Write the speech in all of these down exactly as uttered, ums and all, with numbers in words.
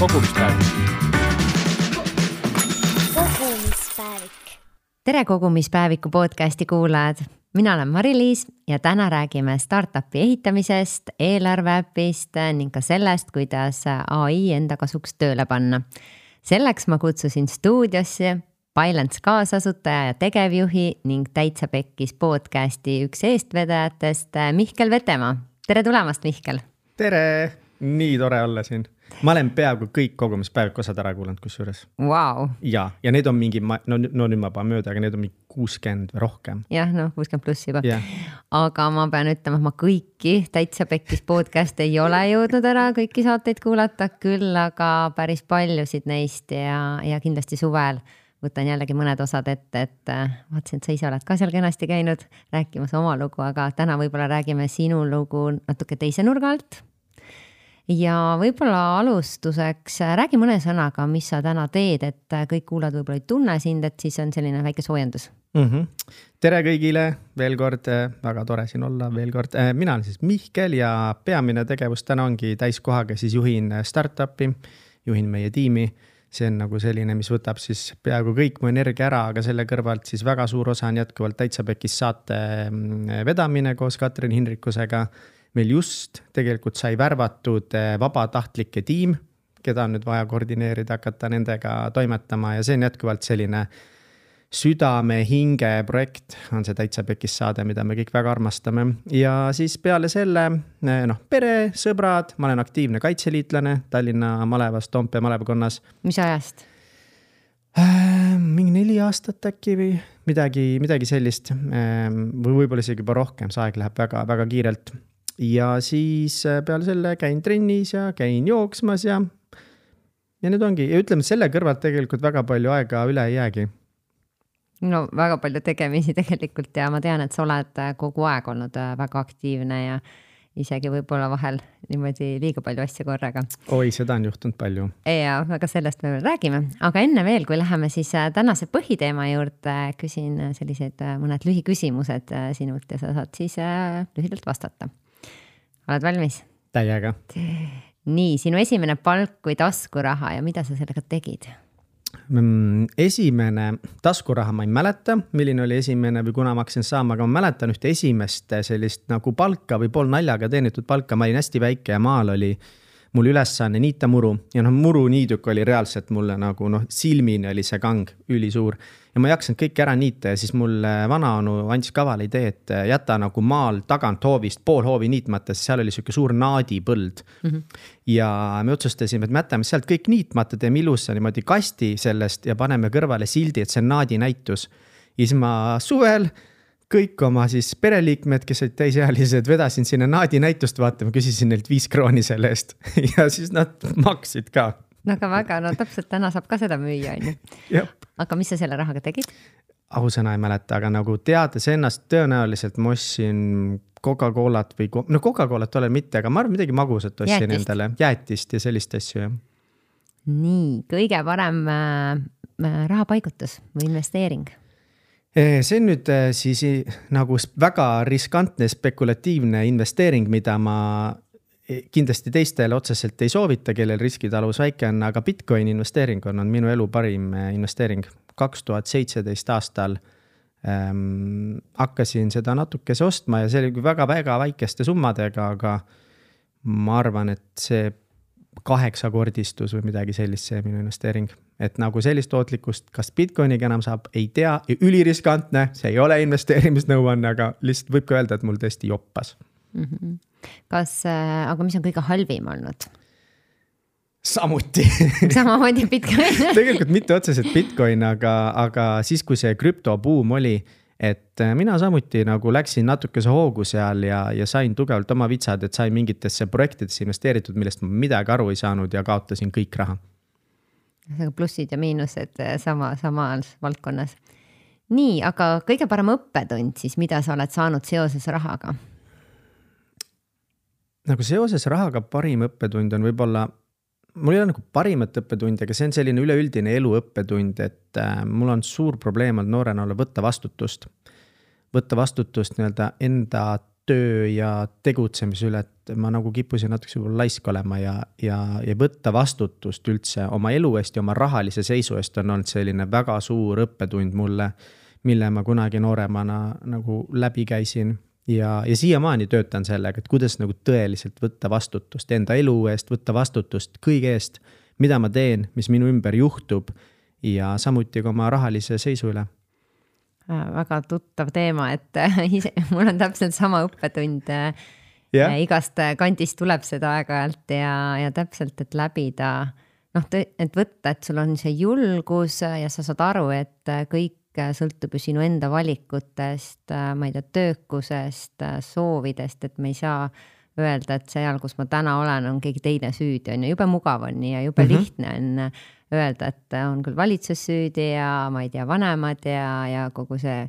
kogumispäevik. Kogumispäevik. Tere kogumispäeviku podcasti kuulajad. Mina olen Mari-Liis ja täna räägime startupi ehitamisest, eelarveäpist ning ka sellest, kuidas A I enda kasuks tööle panna. Selleks ma kutsusin stuudiosse Bylance kaasasutaja ja tegevjuhi ning Täitsa Pekkis podcasti üks eestvedajatest Mihkel Vetemaa. Tere tulemast, Mihkel! Tere! Nii tore olla siin. Ma olen peaaegu kõik kogumispäeviku osad ära kuulanud kusjuures. Wow. Ja, ja need on mingi, no, no nüüd ma paha mööda, aga need on mingi kuuskümmend või rohkem. Jah, no kuuskümmend pluss juba. Yeah. Aga ma pean ütlema, et ma kõiki Täitsa Pekkis podcast ei ole jõudnud ära kõiki saateid kuulata, küll aga päris paljusid neist ja, ja kindlasti suvel võtan jällegi mõned osad ette, et vaatasin, et sa ise oled ka seal kenasti käinud rääkimas oma lugu, aga täna võib-olla räägime sinu lugu natuke teise nurga alt. Ja võib-olla alustuseks räägi mõne sõnaga, mis sa täna teed, et kõik kuulad võib-olla ei tunne sind, et siis on selline väike soojendus. Mm-hmm. Tere kõigile, veel kord, väga tore siin olla, veel kord. Mina olen siis Mihkel ja peamine tegevus täna ongi täiskohaga, siis juhin startupi, juhin meie tiimi. See on nagu selline, mis võtab siis peaaegu kõik mu energia ära, aga selle kõrvalt siis väga suur osa on jätkuvalt Täitsa Pekkis saate vedamine koos Katrin Hinrikusega. Meil just tegelikult sai värvatud vabatahtlike tiim, keda on nüüd vaja koordineerida, hakata nendega toimetama ja see on jätkuvalt selline südame hinge projekt, on see Täitsa Pekkis saade, mida me kõik väga armastame. Ja siis peale selle, noh, pere, sõbrad, ma olen aktiivne kaitseliitlane Tallinna Malevas, Toompea Malevakonnas. Mis ajast? Äh, mingi neli aastat äkki või midagi, midagi sellist. Või võib-olla isegi juba rohkem, see aeg läheb väga, väga kiirelt. Ja siis peale selle käin trennis ja käin jooksmas ja, ja nüüd ongi. Ja ütleme, selle kõrvalt tegelikult väga palju aega üle ei jäägi. No väga palju tegemisi tegelikult ja ma tean, et sa oled kogu aeg olnud väga aktiivne ja isegi võib-olla vahel niimoodi liiga palju asja korraga. Oi, seda on juhtunud palju. Ja, aga sellest me veel räägime. Aga enne veel, kui läheme siis tänase põhiteema juurde, küsin sellised mõned lühiküsimused sinult ja sa saad siis lühidalt vastata. Oled valmis? Täiega. Nii, sinu esimene palk kui taskuraha ja mida sa sellega tegid? Esimene taskuraha ma ei mäleta, milline oli esimene või kuna ma hakkasin saama, aga ma mäletan ühte esimest sellist nagu palka või pool naljaga teenitud palka. Ma olin hästi väike ja maal oli mul ülesanne niita muru ja noh, muru niiduk oli reaalselt mulle nagu noh, silmini oli see kang ülisuur ja ma jaksanud kõik ära niita ja siis mul vanaonu andis kaval idee, et jäta nagu maal tagant hoovist pool hoovi niitmata, sest seal oli siuke suur naadipõld mm-hmm. ja me otsustasime, et me jätame sealt kõik niitmata, teeme ilusa niimoodi kasti sellest ja paneme kõrvale sildi, et see on naadi näitus ja siis ma suvel kõik oma siis pereliikmed, kes olid täisealised, vedasin sinna naadi näitust vaatama, küsisin neilt viis krooni selle eest ja siis nad maksid ka. No aga väga, no täpselt täna saab ka seda müüa. Aga mis sa selle rahaga tegid? Ausõna ei mäleta, aga nagu teades ennast tõenäoliselt ma ostsin Coca-Colat või no Coca-Colat olen mitte, aga ma arvan midagi magusat ostsin jäätist. Endale. Jäätist ja sellist asju. Ja. Nii, kõige parem äh, rahapaigutus või investeering? See on nüüd siis nagu väga riskantne spekulatiivne investeering, mida ma kindlasti teistele otseselt ei soovita, kellel riskitalus väike on, aga Bitcoin investeering on, on minu elu parim investeering. kaks tuhat seitseteist aastal ähm, hakkasin seda natukese ostma ja see oli väga-väga väikeste summadega, aga ma arvan, et see kaheksakordistus või midagi sellist, see minu investeering. Et nagu sellist tootlikkust, kas Bitcoiniga enam saab, ei tea, üliriskantne, see ei ole investeerimisnõuanne, aga lihtsalt võib ka öelda, et mul tõesti joppas. Mm-hmm. Kas, aga mis on kõige halvim olnud? Samuti. Samamoodi Bitcoin. Tegelikult mitte otseselt Bitcoin, aga, aga siis, kui see krüptobuum oli, et mina samuti nagu läksin natukese hoogu seal ja, ja sain tugevalt oma vitsad, et sain mingitesse projektidesse investeeritud, millest ma midagi aru ei saanud ja kaotasin kõik raha. Plussid ja miinused sama, samas valdkonnas. Nii, aga kõige parem õppetund siis, mida sa oled saanud seoses rahaga? Nagu seoses rahaga parim õppetund on võib-olla, mul ei ole nagu parimat õppetund, aga see on selline üleüldine elu õppetund, et äh, mul on suur probleem olnud noorena olla võtta vastutust. Võtta vastutust nii-öelda enda töö ja tegutsemise üle, et ma nagu kippusin natuke võib-olla laisk olema ja, ja, ja võtta vastutust üldse oma elu eest ja oma rahalise seisu eest on olnud selline väga suur õppetund mulle, mille ma kunagi nooremana nagu läbi käisin ja, ja siiamaani töötan sellega, et kuidas nagu tõeliselt võtta vastutust enda elu eest, võtta vastutust kõige eest, mida ma teen, mis minu ümber juhtub ja samuti ka oma rahalise seisu üle. Väga tuttav teema, et ise, mul on täpselt sama õppetund yeah. igast kandist tuleb seda aeg-ajalt ja, ja täpselt, et läbida, noh, et võtta, et sul on see julgus ja sa saad aru, et kõik sõltub ju sinu enda valikutest, ma ei tea, töökusest, soovidest, et me ei saa öelda, et seal, kus ma täna olen, on keegi teine süüdi, on ju, jube mugav on ja jube mm-hmm. lihtne on öelda, et on küll valitsus süüdi ja ma ei tea, vanemad ja, ja kogu see,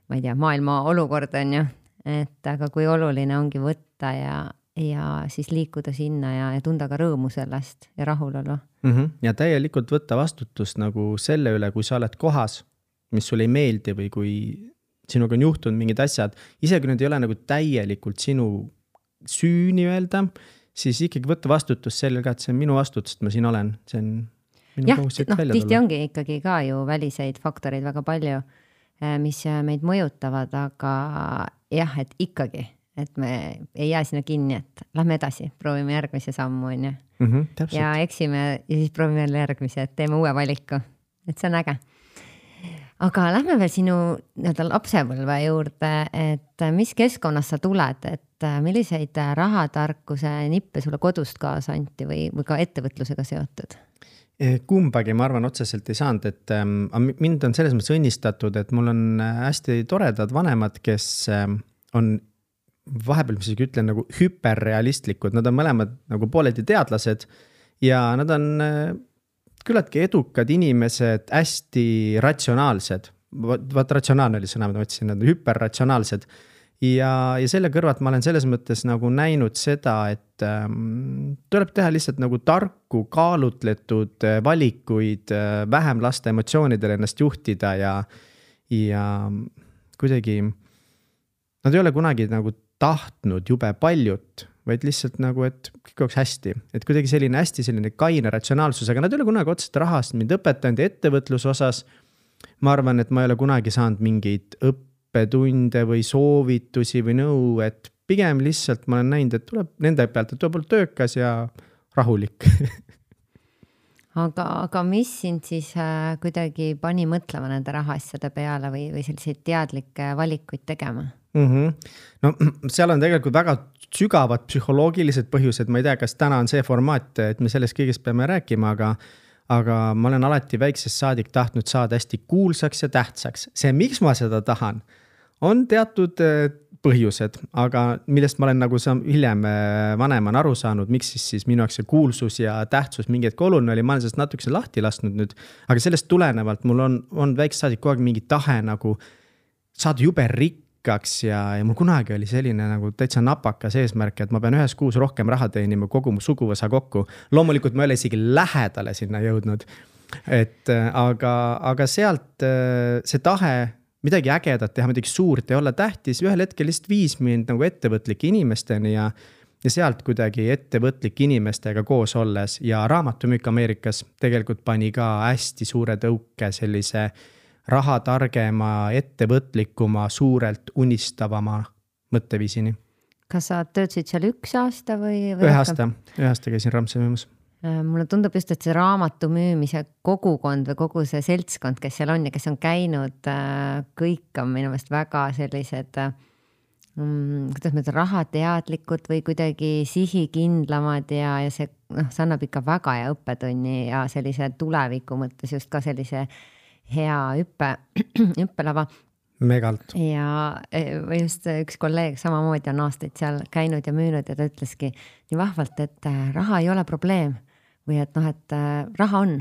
ma ei tea, maailma olukord on ju, et aga kui oluline ongi võtta ja, ja siis liikuda sinna ja, ja tunda ka rõõmu sellest ja rahulolu. Mm-hmm. Ja täielikult võtta vastutust nagu selle üle, kui sa oled kohas, mis sulle ei meeldi või kui sinuga on juhtunud mingid asjad, isegi nüüd ei ole nagu täielikult sinu süü nii-öelda, siis ikkagi võtta vastutust selle ka, et see on minu vastutus, et ma siin olen, see on minu jah, kohus siit no, välja tihti tulla. ongi ikkagi ka ju väliseid faktoreid väga palju, mis meid mõjutavad, aga jah, et ikkagi, et me ei jää sinna kinni, et lähme edasi, proovime järgmise sammu on ju. Mm-hmm, ja eksime ja siis proovime jälle järgmise, et teeme uue valiku, et see on äge. Aga lähme veel sinu nii-öelda lapsepõlve juurde, et mis keskkonnas sa tuled, et milliseid rahatarkuse nippe sulle kodust kaasa anti või, või ka ettevõtlusega seotud? Kumbagi ma arvan otseselt ei saanud, et mind on selles mõttes õnnistatud, et mul on hästi toredad vanemad, kes on vahepeal, mis isegi ütlen, nagu hüperrealistlikud, nad on mõlemad nagu pooledi teadlased ja nad on küllaltki edukad inimesed, hästi ratsionaalsed. Vaat ratsionaalne oli sõna, mida ma ütlesin, nad on hüperratsionaalsed. Ja, ja selle kõrvat ma olen selles mõttes nagu näinud seda, et ähm, tuleb teha lihtsalt nagu tarku, kaalutletud valikuid, vähem lasta emotsioonidele ennast juhtida ja, ja kuidagi nad ei ole kunagi nagu tahtnud jube paljut, vaid lihtsalt nagu, et kõik oleks hästi. Et kuidagi selline hästi selline kaine ratsionaalsus, aga nad ei ole kunagi otsest rahast mind õpetanud ja ettevõtluse osas. Ma arvan, et ma ei ole kunagi saanud mingeid õppetunde või soovitusi või nõu, et pigem lihtsalt ma olen näinud, et tuleb nende pealt, et tuleb olla töökas ja rahulik. aga, aga mis sind siis äh, kuidagi pani mõtlema nende rahaasjade peale või, või selliseid teadlikke valikuid tegema? Mm-hmm. No seal on tegelikult väga sügavad psühholoogilised põhjused, ma ei tea, kas täna on see formaat, et me sellest kõigest peame rääkima, aga, aga ma olen alati väiksest saadik tahtnud saada hästi kuulsaks ja tähtsaks. See, miks ma seda tahan, on teatud põhjused, aga millest ma olen nagu hiljem vaneman aru saanud, miks siis, siis minu jaoks see kuulsus ja tähtsus mingi hetk oluline oli, ma olen sellest natukese lahti lasknud nüüd, aga sellest tulenevalt mul on, on väiksest saadik kogu aeg mingi tahe nagu saada jube rikk, ja, ja mul kunagi oli selline nagu täitsa napakas eesmärk, et ma pean ühes kuus rohkem raha teenima kogu mu suguvõsa kokku. Loomulikult ma ei ole isegi lähedale sinna jõudnud. Et, aga, aga sealt see tahe midagi ägedat teha, midagi suurt ja olla tähtis, ühel hetkel lihtsalt viis mind nagu ettevõtlike inimesteni ja, ja sealt kuidagi ettevõtlike inimestega koos olles ja raamatumüük Ameerikas tegelikult pani ka hästi suure tõuke sellise raha targema, ettevõtlikuma, suurelt unistavama mõtteviisini. Kas sa töötasid seal üks aasta või? või ühe aasta, ühe aasta käisin Ramse müümas. Mulle tundub just, et see raamatu müümise kogukond või kogu see seltskond, kes seal on ja kes on käinud, kõik on minu meelest väga sellised, kuidas me ütlen, rahateadlikud või kuidagi sihikindlamad ja, ja see, noh, see annab ikka väga hea õppetunni ja sellise tuleviku mõttes just ka sellise hea hüppe, hüppelava. Megalt. Ja just üks kolleeg samamoodi on aastaid seal käinud ja müünud ja ta ütleski nii vahvalt, et raha ei ole probleem või et noh, et raha on.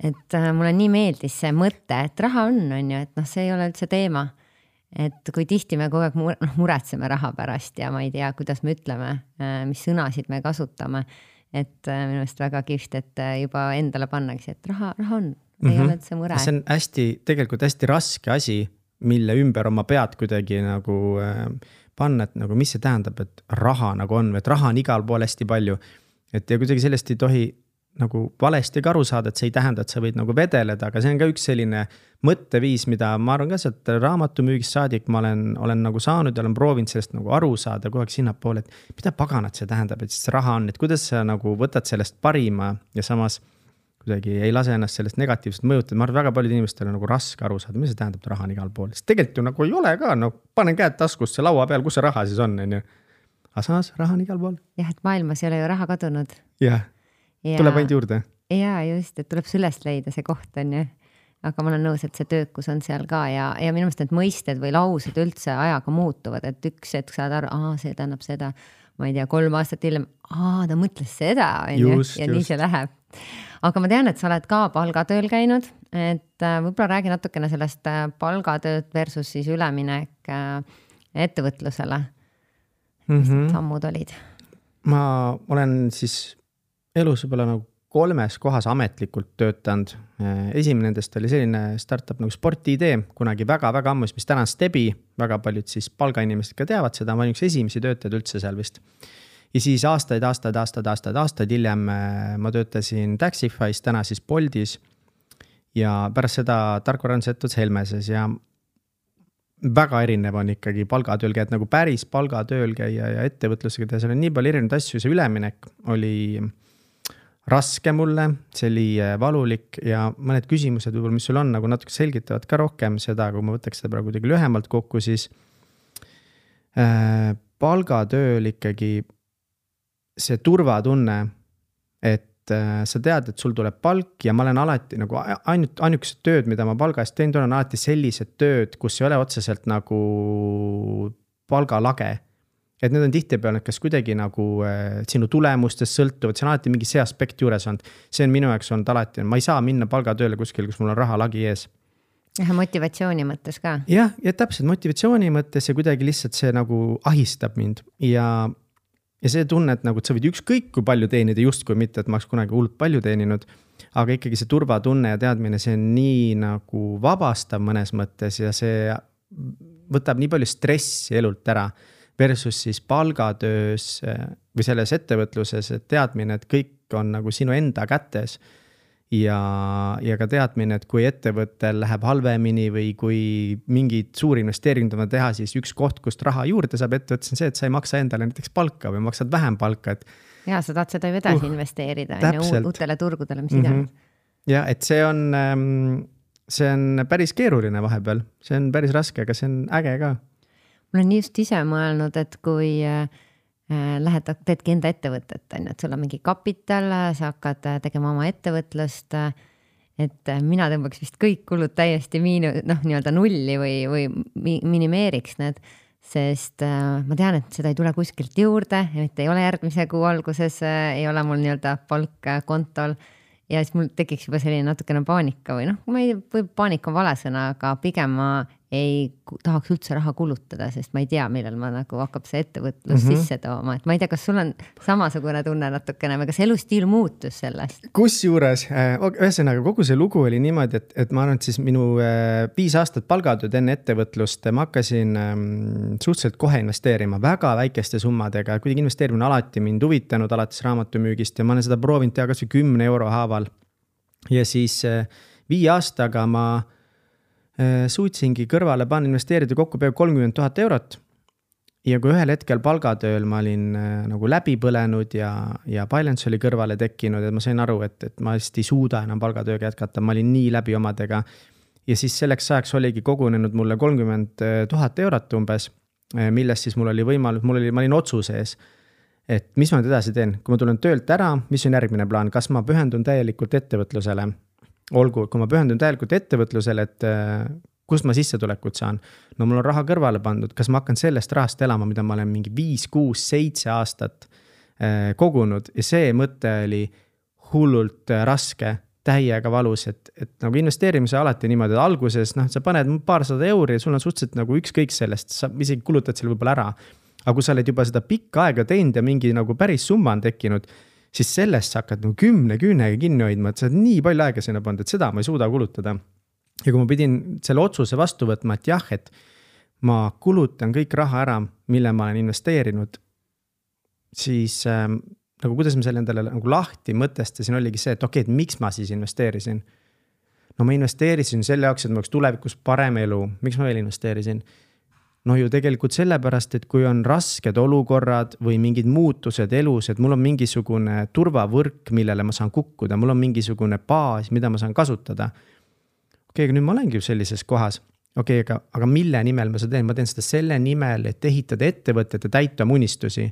Et mulle nii meeldis see mõte, et raha on, on ju, et noh, see ei ole üldse teema. Et kui tihti me kogu aeg mure, noh, muretseme raha pärast ja ma ei tea, kuidas me ütleme, mis sõnasid me kasutame. Et minu meelest väga kihvt, et juba endale pannagi, et raha, raha on. Ei mm-hmm. ole üldse mure. See on hästi, tegelikult hästi raske asi, mille ümber oma pead kuidagi nagu panna, et nagu mis see tähendab, et raha nagu on, et raha on igal pool hästi palju. Et ja kuidagi sellest ei tohi nagu valesti ka aru saada, et see ei tähenda, et sa võid nagu vedeleda, aga see on ka üks selline mõtteviis, mida ma arvan ka sealt raamatumüügist saadik ma olen, olen nagu saanud ja olen proovinud sellest nagu aru saada kogu aeg sinnapoole, et mida paganat see tähendab, et siis raha on, et kuidas sa nagu võtad sellest parima ja samas kuidagi ei lase ennast sellest negatiivselt mõjutada. Ma arvan, väga paljud inimestel on nagu raske aru saada, mis see tähendab, et raha on igal pool. Sest tegelikult ju nagu ei ole ka, no panen käed taskusse laua peal, kus see raha siis on, on ju. Aga samas raha on igal pool. Jah, et maailmas ei ole ju raha kadunud. Jah, ja, tuleb ainult juurde. Jaa, just, et tuleb süllest leida see koht, on ju. Aga ma olen nõus, et see töökus on seal ka ja, ja minu meelest need mõisted või laused üldse ajaga muutuvad, et üks hetk saad aru, aa, see tähendab seda, ma ei tea, kolm aastat hiljem, aa, ta mõtles seda, on ju, ja just. Nii see läheb. Aga ma tean, et sa oled ka palgatööl käinud, et võib-olla räägi natukene sellest palgatööd versus siis üleminek ettevõtlusele. Mis mm-hmm. sammud olid? Ma olen siis elus võib-olla nagu kolmes kohas ametlikult töötanud. Esimene nendest oli selline startup nagu Sporti-idee, kunagi väga-väga ammus, mis täna on Stebi, väga paljud siis palgainimesed ka teavad seda, ma olin üks esimesi töötajad üldse seal vist. Ja siis aastaid, aastaid, aastaid, aastaid, aastaid hiljem ma töötasin Taxify's, täna siis Boltis ja pärast seda tarkvarandsetud Helmeses ja väga erinev on ikkagi palgatööl käia, et nagu päris palgatööl käia ja ettevõtlusega teha, seal on nii palju erinevaid asju, see üleminek oli raske mulle, see oli valulik ja mõned küsimused võib-olla, mis sul on, nagu natuke selgitavad ka rohkem seda, kui ma võtaks seda praegu kuidagi lühemalt kokku, siis äh, palgatööl ikkagi see turvatunne, et äh, sa tead, et sul tuleb palk ja ma olen alati nagu ainult ainukesed tööd, mida ma palga eest teinud, on alati sellised tööd, kus ei ole otseselt nagu palgalage. Et need on tihtipeale, kas kuidagi nagu äh, sinu tulemustest sõltuvad, see on alati mingi see aspekt juures on. See on minu jaoks olnud alati, ma ei saa minna palgatööle kuskil, kus mul on raha lagi ees. Ja motivatsiooni mõttes ka. Jah, ja täpselt motivatsiooni mõttes ja kuidagi lihtsalt see nagu ahistab mind ja Ja see tunne, et nagu, et sa võid ükskõik kui palju teenida, just kui mitte, et ma oleks kunagi hullult palju teeninud, aga ikkagi see turvatunne ja teadmine, see on nii nagu vabastav mõnes mõttes ja see võtab nii palju stressi elult ära versus siis palgatöös või selles ettevõtluses, et teadmine, et kõik on nagu sinu enda kätes ja, ja ka teadmine, et kui ettevõttel läheb halvemini või kui mingid suuri investeeringud on teha, siis üks koht, kust raha juurde saab ettevõttes on see, et sa ei maksa endale näiteks palka või maksad vähem palka. Et... Ja, sa tahad seda ju edasi uh, investeerida ja uutele turgudele, mis mm-hmm. iganes. Ja, et see on, see on päris keeruline vahepeal, see on päris raske, aga see on äge ka. Mul on just ise mõelnud, et kui lähed, teedki enda ettevõtet, et sul on mingi kapital, sa hakkad tegema oma ettevõtlust, et mina tõmbaks vist kõik kulud täiesti miinu, noh, nii-öelda nulli või, või minimeeriks need, sest ma tean, et seda ei tule kuskilt juurde, et ei ole järgmise kuu alguses, ei ole mul nii-öelda palk kontol ja siis mul tekiks juba selline natukene paanika või noh, ma ei, või paanika on vale sõna, aga pigem ma ei tahaks üldse raha kulutada, sest ma ei tea, millal ma nagu hakkab see ettevõtlus mm-hmm. sisse tooma, et ma ei tea, kas sul on samasugune tunne natukene või kas elustiil muutus sellest? Kus juures, ühesõnaga kogu see lugu oli niimoodi, et, et ma arvan, et siis minu viis aastat palgatööd enne ettevõtlust ma hakkasin suhteliselt kohe investeerima väga väikeste summadega, kuidagi investeerimine alati mind huvitanud alates raamatumüügist ja ma olen seda proovinud teha kas või kümne euro haaval ja siis viie aastaga ma suutsingi kõrvale panna investeerida kokku peaaegu kolmkümmend tuhat eurot ja kui ühel hetkel palgatööl ma olin nagu läbi põlenud ja, ja Balance oli kõrvale tekkinud, et ma sain aru, et, et ma hästi ei suuda enam palgatööga jätkata, ma olin nii läbi omadega ja siis selleks ajaks oligi kogunenud mulle kolmkümmend tuhat eurot umbes, millest siis mul oli võimalus, mul oli, ma olin otsuse ees, et mis ma nüüd edasi teen, kui ma tulen töölt ära, mis on järgmine plaan, kas ma pühendun täielikult ettevõtlusele olgu, kui ma pühendun täielikult ettevõtlusele, et kust ma sissetulekut saan. No mul on raha kõrvale pandud, kas ma hakkan sellest rahast elama, mida ma olen mingi viis, kuus, seitse aastat kogunud ja see mõte oli hullult raske, täiega valus, et, et nagu investeerimise alati niimoodi, et alguses noh, sa paned paarsada euri ja sul on suhteliselt nagu ükskõik sellest, sa isegi kulutad selle võib-olla ära. Aga kui sa oled juba seda pikka aega teinud ja mingi nagu päris summa on tekkinud, siis sellest sa hakkad nagu kümne küünega kinni hoidma, et sa oled nii palju aega sinna pannud, et seda ma ei suuda kulutada. Ja kui ma pidin selle otsuse vastu võtma, et jah, et ma kulutan kõik raha ära, mille ma olen investeerinud, siis äh, nagu kuidas ma selle endale nagu lahti mõtestasin, oligi see, et okei, et miks ma siis investeerisin? No ma investeerisin selle jaoks, et ma oleks tulevikus parem elu. Miks ma veel investeerisin? No ju tegelikult sellepärast, et kui on rasked olukorrad või mingid muutused elus, et mul on mingisugune turvavõrk, millele ma saan kukkuda, mul on mingisugune baas, mida ma saan kasutada. Okei, aga nüüd ma olengi sellises kohas. Okei, aga, aga mille nimel ma seda teen? Ma teen seda selle nimel, et ehitada ettevõtet ja täita munistusi.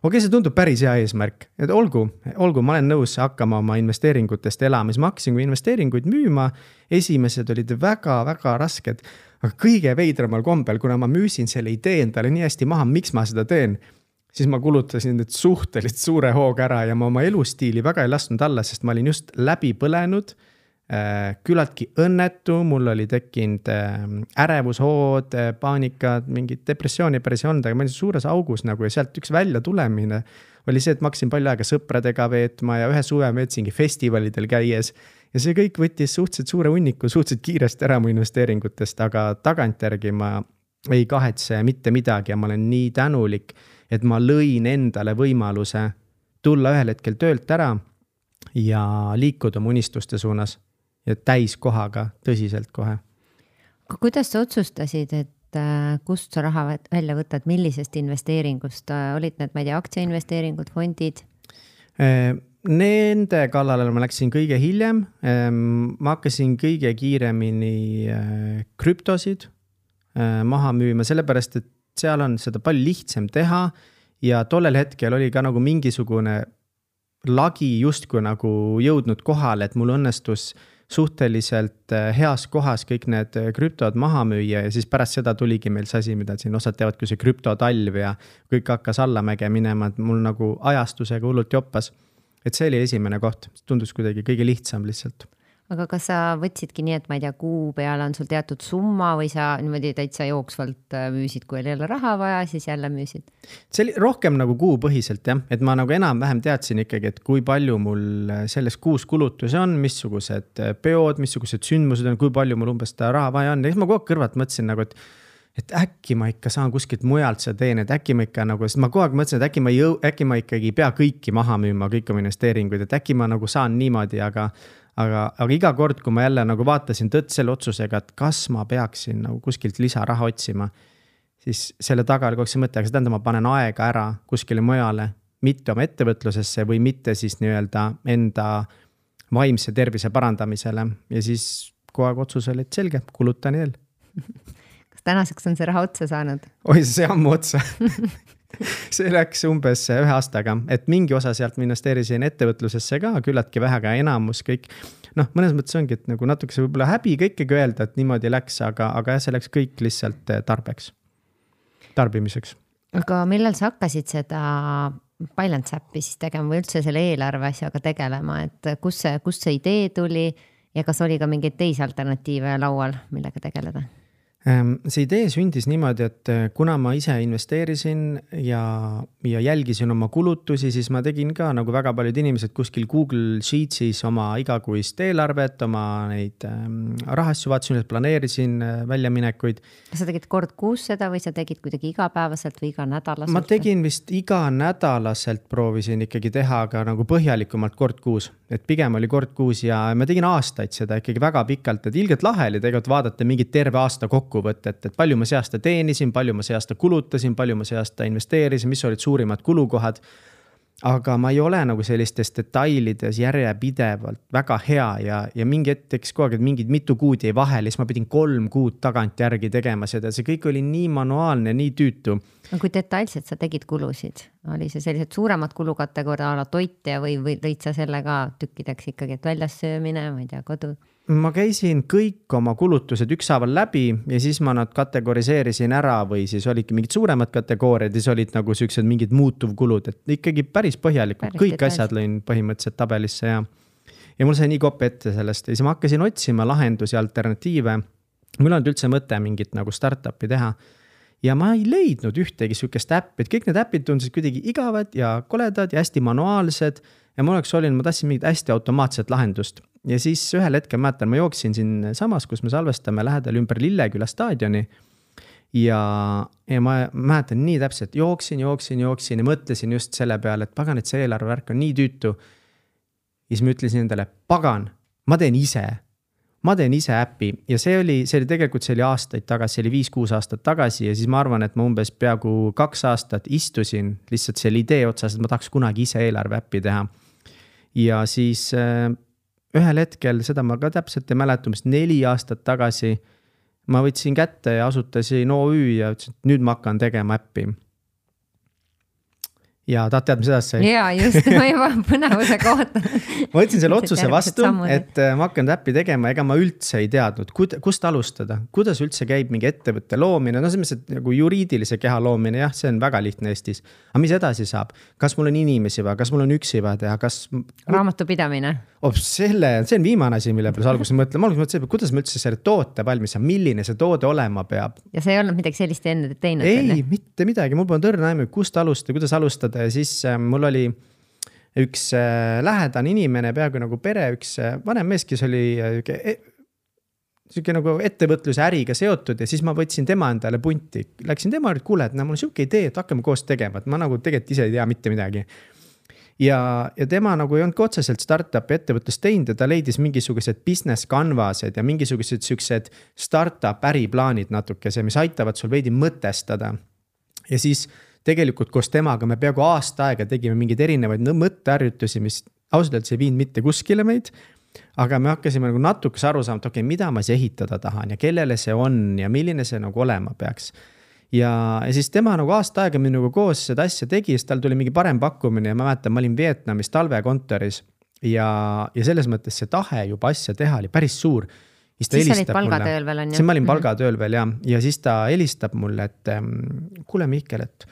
Okei, see tundub päris hea eesmärk, et olgu, olgu, ma olen nõus hakkama oma investeeringutest elama, siis ma hakkasin kui investeeringuid müüma, esimesed olid väga, väga rasked, aga kõige veidramal kombel, kuna ma müüsin selle idee endale nii hästi maha, miks ma seda teen, siis ma kulutasin nüüd suhteliselt suure hooga ära ja ma oma elustiili väga ei lasknud alla, sest ma olin just läbi põlenud, küllaltki õnnetu, mul oli tekkinud ärevushood, paanikad, mingid depressiooni päris ei olnud, aga ma olin suures augus nagu ja sealt üks välja tulemine oli see, et ma hakkasin palju aega sõpradega veetma ja ühe suve veetsingi festivalidel käies ja see kõik võttis suhteliselt suure hunniku, suhteliselt kiiresti ära mu investeeringutest, aga tagantjärgi ma ei kahetse mitte midagi ja ma olen nii tänulik, et ma lõin endale võimaluse tulla ühel hetkel töölt ära ja liikuda mu unistuste suunas. Ja täis kohaga tõsiselt kohe. Aga kuidas sa otsustasid, et kust sa raha välja võtad, millisest investeeringust? Olid need, ma ei tea, aktsiainvesteeringud, fondid? Nende kallale ma läksin kõige hiljem. Ma hakkasin kõige kiiremini krüptosid maha müüma, sellepärast, et seal on seda palju lihtsam teha ja tollel hetkel oli ka nagu mingisugune lagi justkui nagu jõudnud kohale, et mul õnnestus suhteliselt heas kohas kõik need krüptod maha müüa ja siis pärast seda tuligi meil see asi, mida siin osad teavad, kui see krüptotalv ja kõik hakkas allamäge minema, et mul nagu ajastusega hullult joppas. Et see oli esimene koht, tundus kuidagi kõige lihtsam lihtsalt. Aga kas sa võtsidki nii, et ma ei tea, kuu peale on sul teatud summa või sa niimoodi täitsa jooksvalt müüsid, kui oli jälle raha vaja, siis jälle müüsid? See oli rohkem nagu kuupõhiselt, jah, et ma nagu enam-vähem teadsin ikkagi, et kui palju mul selles kuus kulutusi on, missugused peod, missugused sündmused on, kui palju mul umbes seda raha vaja on. Ja siis ma kogu aeg kõrvalt mõtlesin nagu, et et äkki ma ikka saan kuskilt mujalt seda teen, et äkki ma ikka nagu, sest ma kogu aeg mõtlesin, et äkki ma, jõu, äkki ma ikkagi pea kõiki maha müüma, kõik oma investeeringuid, et äkki ma nagu saan niimoodi, aga, aga, aga iga kord, kui ma jälle nagu vaatasin tõtt selle otsusega, et kas ma peaksin nagu kuskilt lisaraha otsima, siis selle taga oli kogu see mõte, aga see tähendab, ma panen aega ära kuskile mujale, mitte oma ettevõtlusesse või mitte siis nii-öelda enda vaimse tervise parandamisele ja siis kogu aeg otsus oli, et selge, kulutan eel. Tänaseks on see raha otsa saanud? Oi, see ammu otsa. See läks umbes ühe aastaga, et mingi osa sealt ma investeerisin ettevõtlusesse ka, küllatki vähega enamus kõik. Noh, mõnes mõttes ongi, et nagu natuke see võib-olla häbi kõikegi öelda, et niimoodi läks, aga, aga see läks kõik lihtsalt tarbeks, tarbimiseks. Aga millal sa hakkasid seda Balance Appi siis tegema või üldse selle eelarve asjaga tegelema, et kus see, kus see idee tuli ja kas oli ka mingeid teisi alternatiive laual, millega tegeleda? See idee sündis niimoodi, et kuna ma ise investeerisin ja, ja jälgisin oma kulutusi, siis ma tegin ka nagu väga paljud inimesed kuskil Google Sheetsis oma igakuist eelarvet, oma neid ähm, rahasju vaatasin, planeerisin äh, väljaminekuid. Kas sa tegid kord kuus seda või sa tegid kuidagi igapäevaselt või iga nädalaselt? Ma tegin vist iga nädalaselt proovisin ikkagi teha ka nagu põhjalikumalt kord kuus, et pigem oli kord kuus ja ma tegin aastaid seda ikkagi väga pikalt, et ilgelt lahe oli tegelikult vaadata mingit terve aasta kokku võtet, et palju ma see aasta teenisin, palju ma see aasta kulutasin, palju ma see aasta investeerisin, mis olid suurimad kulukohad. Aga ma ei ole nagu sellistes detailides järjepidevalt väga hea ja, ja mingi hetkeks kogu aeg, et mingid mitu kuud jäi vahele, siis ma pidin kolm kuud tagant järgi tegema seda. See kõik oli nii manuaalne, nii tüütu. Kui detailselt sa tegid kulusid? Oli see sellised suuremad kulukategooria ala toitja või, või lõid sa selle ka tükkideks ikkagi, et väljas söömine, ma ei tea, kodu? Ma käisin kõik oma kulutused ükshaaval läbi ja siis ma nad kategoriseerisin ära või siis olidki mingid suuremad kategooriad ja siis olid nagu sellised mingid muutuvkulud, et ikkagi päris põhjalikult, päris kõik details. Asjad lõin põhimõtteliselt tabelisse ja, ja mul sai nii kopp ette sellest ja siis ma hakkasin otsima lahendusi, alternatiive. Mul on üldse mõte mingit nagu startupi teha ja ma ei leidnud ühtegi sükest äppi, et kõik need äpid tundusid kuidagi igavad ja koledad ja hästi manuaalsed ja mul oleks olinud, ma tahtsin mingit hästi automaatset lahendust. Ja siis ühel hetkel mäletan, ma jooksin siin samas, kus me salvestame lähedal ümber Lilleküla staadioni ja, ja ma mäletan nii täpselt, jooksin, jooksin, jooksin ja mõtlesin just selle peale, et pagan, et see eelarvevärk on nii tüütu. Ja siis ma ütlesin endale, pagan, ma teen ise, ma teen ise äppi ja see oli, see oli tegelikult, see oli aastaid tagasi, see oli viis-kuus aastat tagasi ja siis ma arvan, et ma umbes peaaegu kaks aastat istusin lihtsalt selle idee otsas, et ma tahaks kunagi ise eelarve äppi teha. Ja siis äh, ühel hetkel, seda ma ka täpselt ei mäleta, mis neli aastat tagasi ma võtsin kätte ja asutasin O Ü ja ütlesin, et nüüd ma hakkan tegema äppi. Ja tahad tead, mis edasi sai? Jaa, just, ma juba põnevusega ootan. Ma võtsin selle otsuse vastu, et ma hakkan äppi tegema, ega ma üldse ei teadnud, kust alustada, kuidas üldse käib mingi ettevõtte loomine, no selles mõttes, et nagu juriidilise keha loomine, jah, see on väga lihtne Eestis. Aga mis edasi saab? Kas mul on inimesi vaja, kas mul on üksi vaja teha, kas... Raamatupidamine. Oh, selle, see on viimane asi, mille peale alguses mõtlen. Ma alguses mõtlesin, kuidas ma üldse selle toote valmis saab, milline see toode olema peab. Ja see ei olnud midagi sellist enne teinud? Ei, enne? Mitte midagi, mul pole tõrna aimu, kust alustada, kuidas alustada ja siis äh, mul oli üks äh, lähedane inimene, peaaegu nagu pere, üks äh, vanem mees, kes oli äh, selline nagu ettevõtluse äriga seotud ja siis ma võtsin tema endale punti. Läksin tema, et kuule, et no, mul on siuke idee, et hakkame koos tegema, et ma nagu tegelikult ise ei tea mitte midagi. Ja, ja tema nagu ei olnud otseselt startup ettevõtlust teinud ja ta leidis mingisugused business canvased ja mingisugused siuksed startup äriplaanid natukese, mis aitavad sul veidi mõtestada. Ja siis tegelikult koos temaga me peaaegu aasta aega tegime mingeid erinevaid mõtteharjutusi, mis ausalt öeldes ei viinud mitte kuskile meid, aga me hakkasime nagu natukese aru saama, et okei, mida ma siis ehitada tahan ja kellele see on ja milline see nagu olema peaks. Ja, ja siis tema nagu aasta aega minuga koos seda asja tegi, siis tal tuli mingi parem pakkumine ja ma mäletan, ma olin Vietnamis talvekontoris ja, ja selles mõttes see tahe juba asja teha oli päris suur. Siis, siis olid palgatööl veel on ju? Siis ma olin palgatööl veel ja, ja siis ta helistab mulle, et kuule Mihkel, et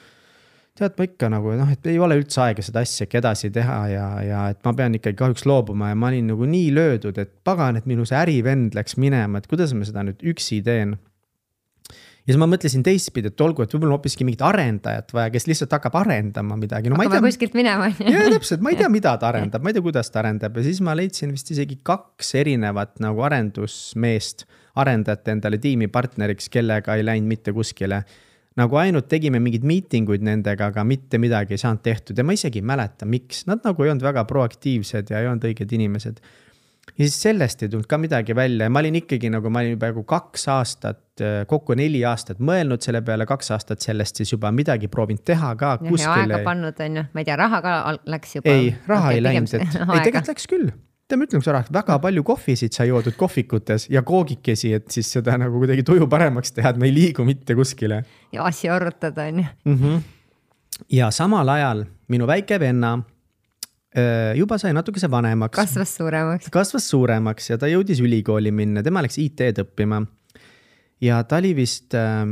tead ma ikka nagu, noh, et ei ole üldse aega seda asja edasi teha ja, ja et ma pean ikkagi kahjuks loobuma ja ma olin nagu nii löödud, et pagan, et minu see ärivend läks minema, et kuidas ma seda nüüd üksi teen. Ja siis ma mõtlesin teistpidi, et olgu, et võib-olla hoopiski mingit arendajat vaja, kes lihtsalt hakkab arendama midagi. No, hakkame kuskilt minema. Ja täpselt, ma ei tea, mida ta arendab, ma ei tea, kuidas ta arendab. Ja siis ma leidsin vist isegi kaks erinevat nagu arendusmeest, arendajate endale tiimipartneriks, kellega ei läinud mitte kuskile. Nagu ainult tegime mingid miitinguid nendega, aga mitte midagi ei saanud tehtud. Ja ma isegi ei mäleta, miks. Nad nagu ei olnud väga proaktiivsed ja ei olnud õiged inimesed. Ja siis sellest ei tulnud ka midagi välja ja ma olin ikkagi nagu, ma olin juba kaks aastat, kokku neli aastat mõelnud selle peale, kaks aastat sellest siis juba midagi proovinud teha ka ja, kuskile. Ja aega pannud on ju, ma ei tea, raha ka läks juba. Ei, raha okay, ei läinud, et ei, tegelikult läks küll. Te ma ütlen, kui sa rahad, väga palju kohvisid sa joodud kohvikutes ja koogikesi, et siis seda nagu kuidagi tuju paremaks teha, et ma ei liigu mitte kuskile. Ja asja arutada on ju. Mm-hmm. Ja samal ajal minu väike venna juba sai natukese vanemaks. Kasvas suuremaks. Kasvas suuremaks ja ta jõudis ülikooli minna. Tema läks I T-d õppima. Ja ta oli vist äh,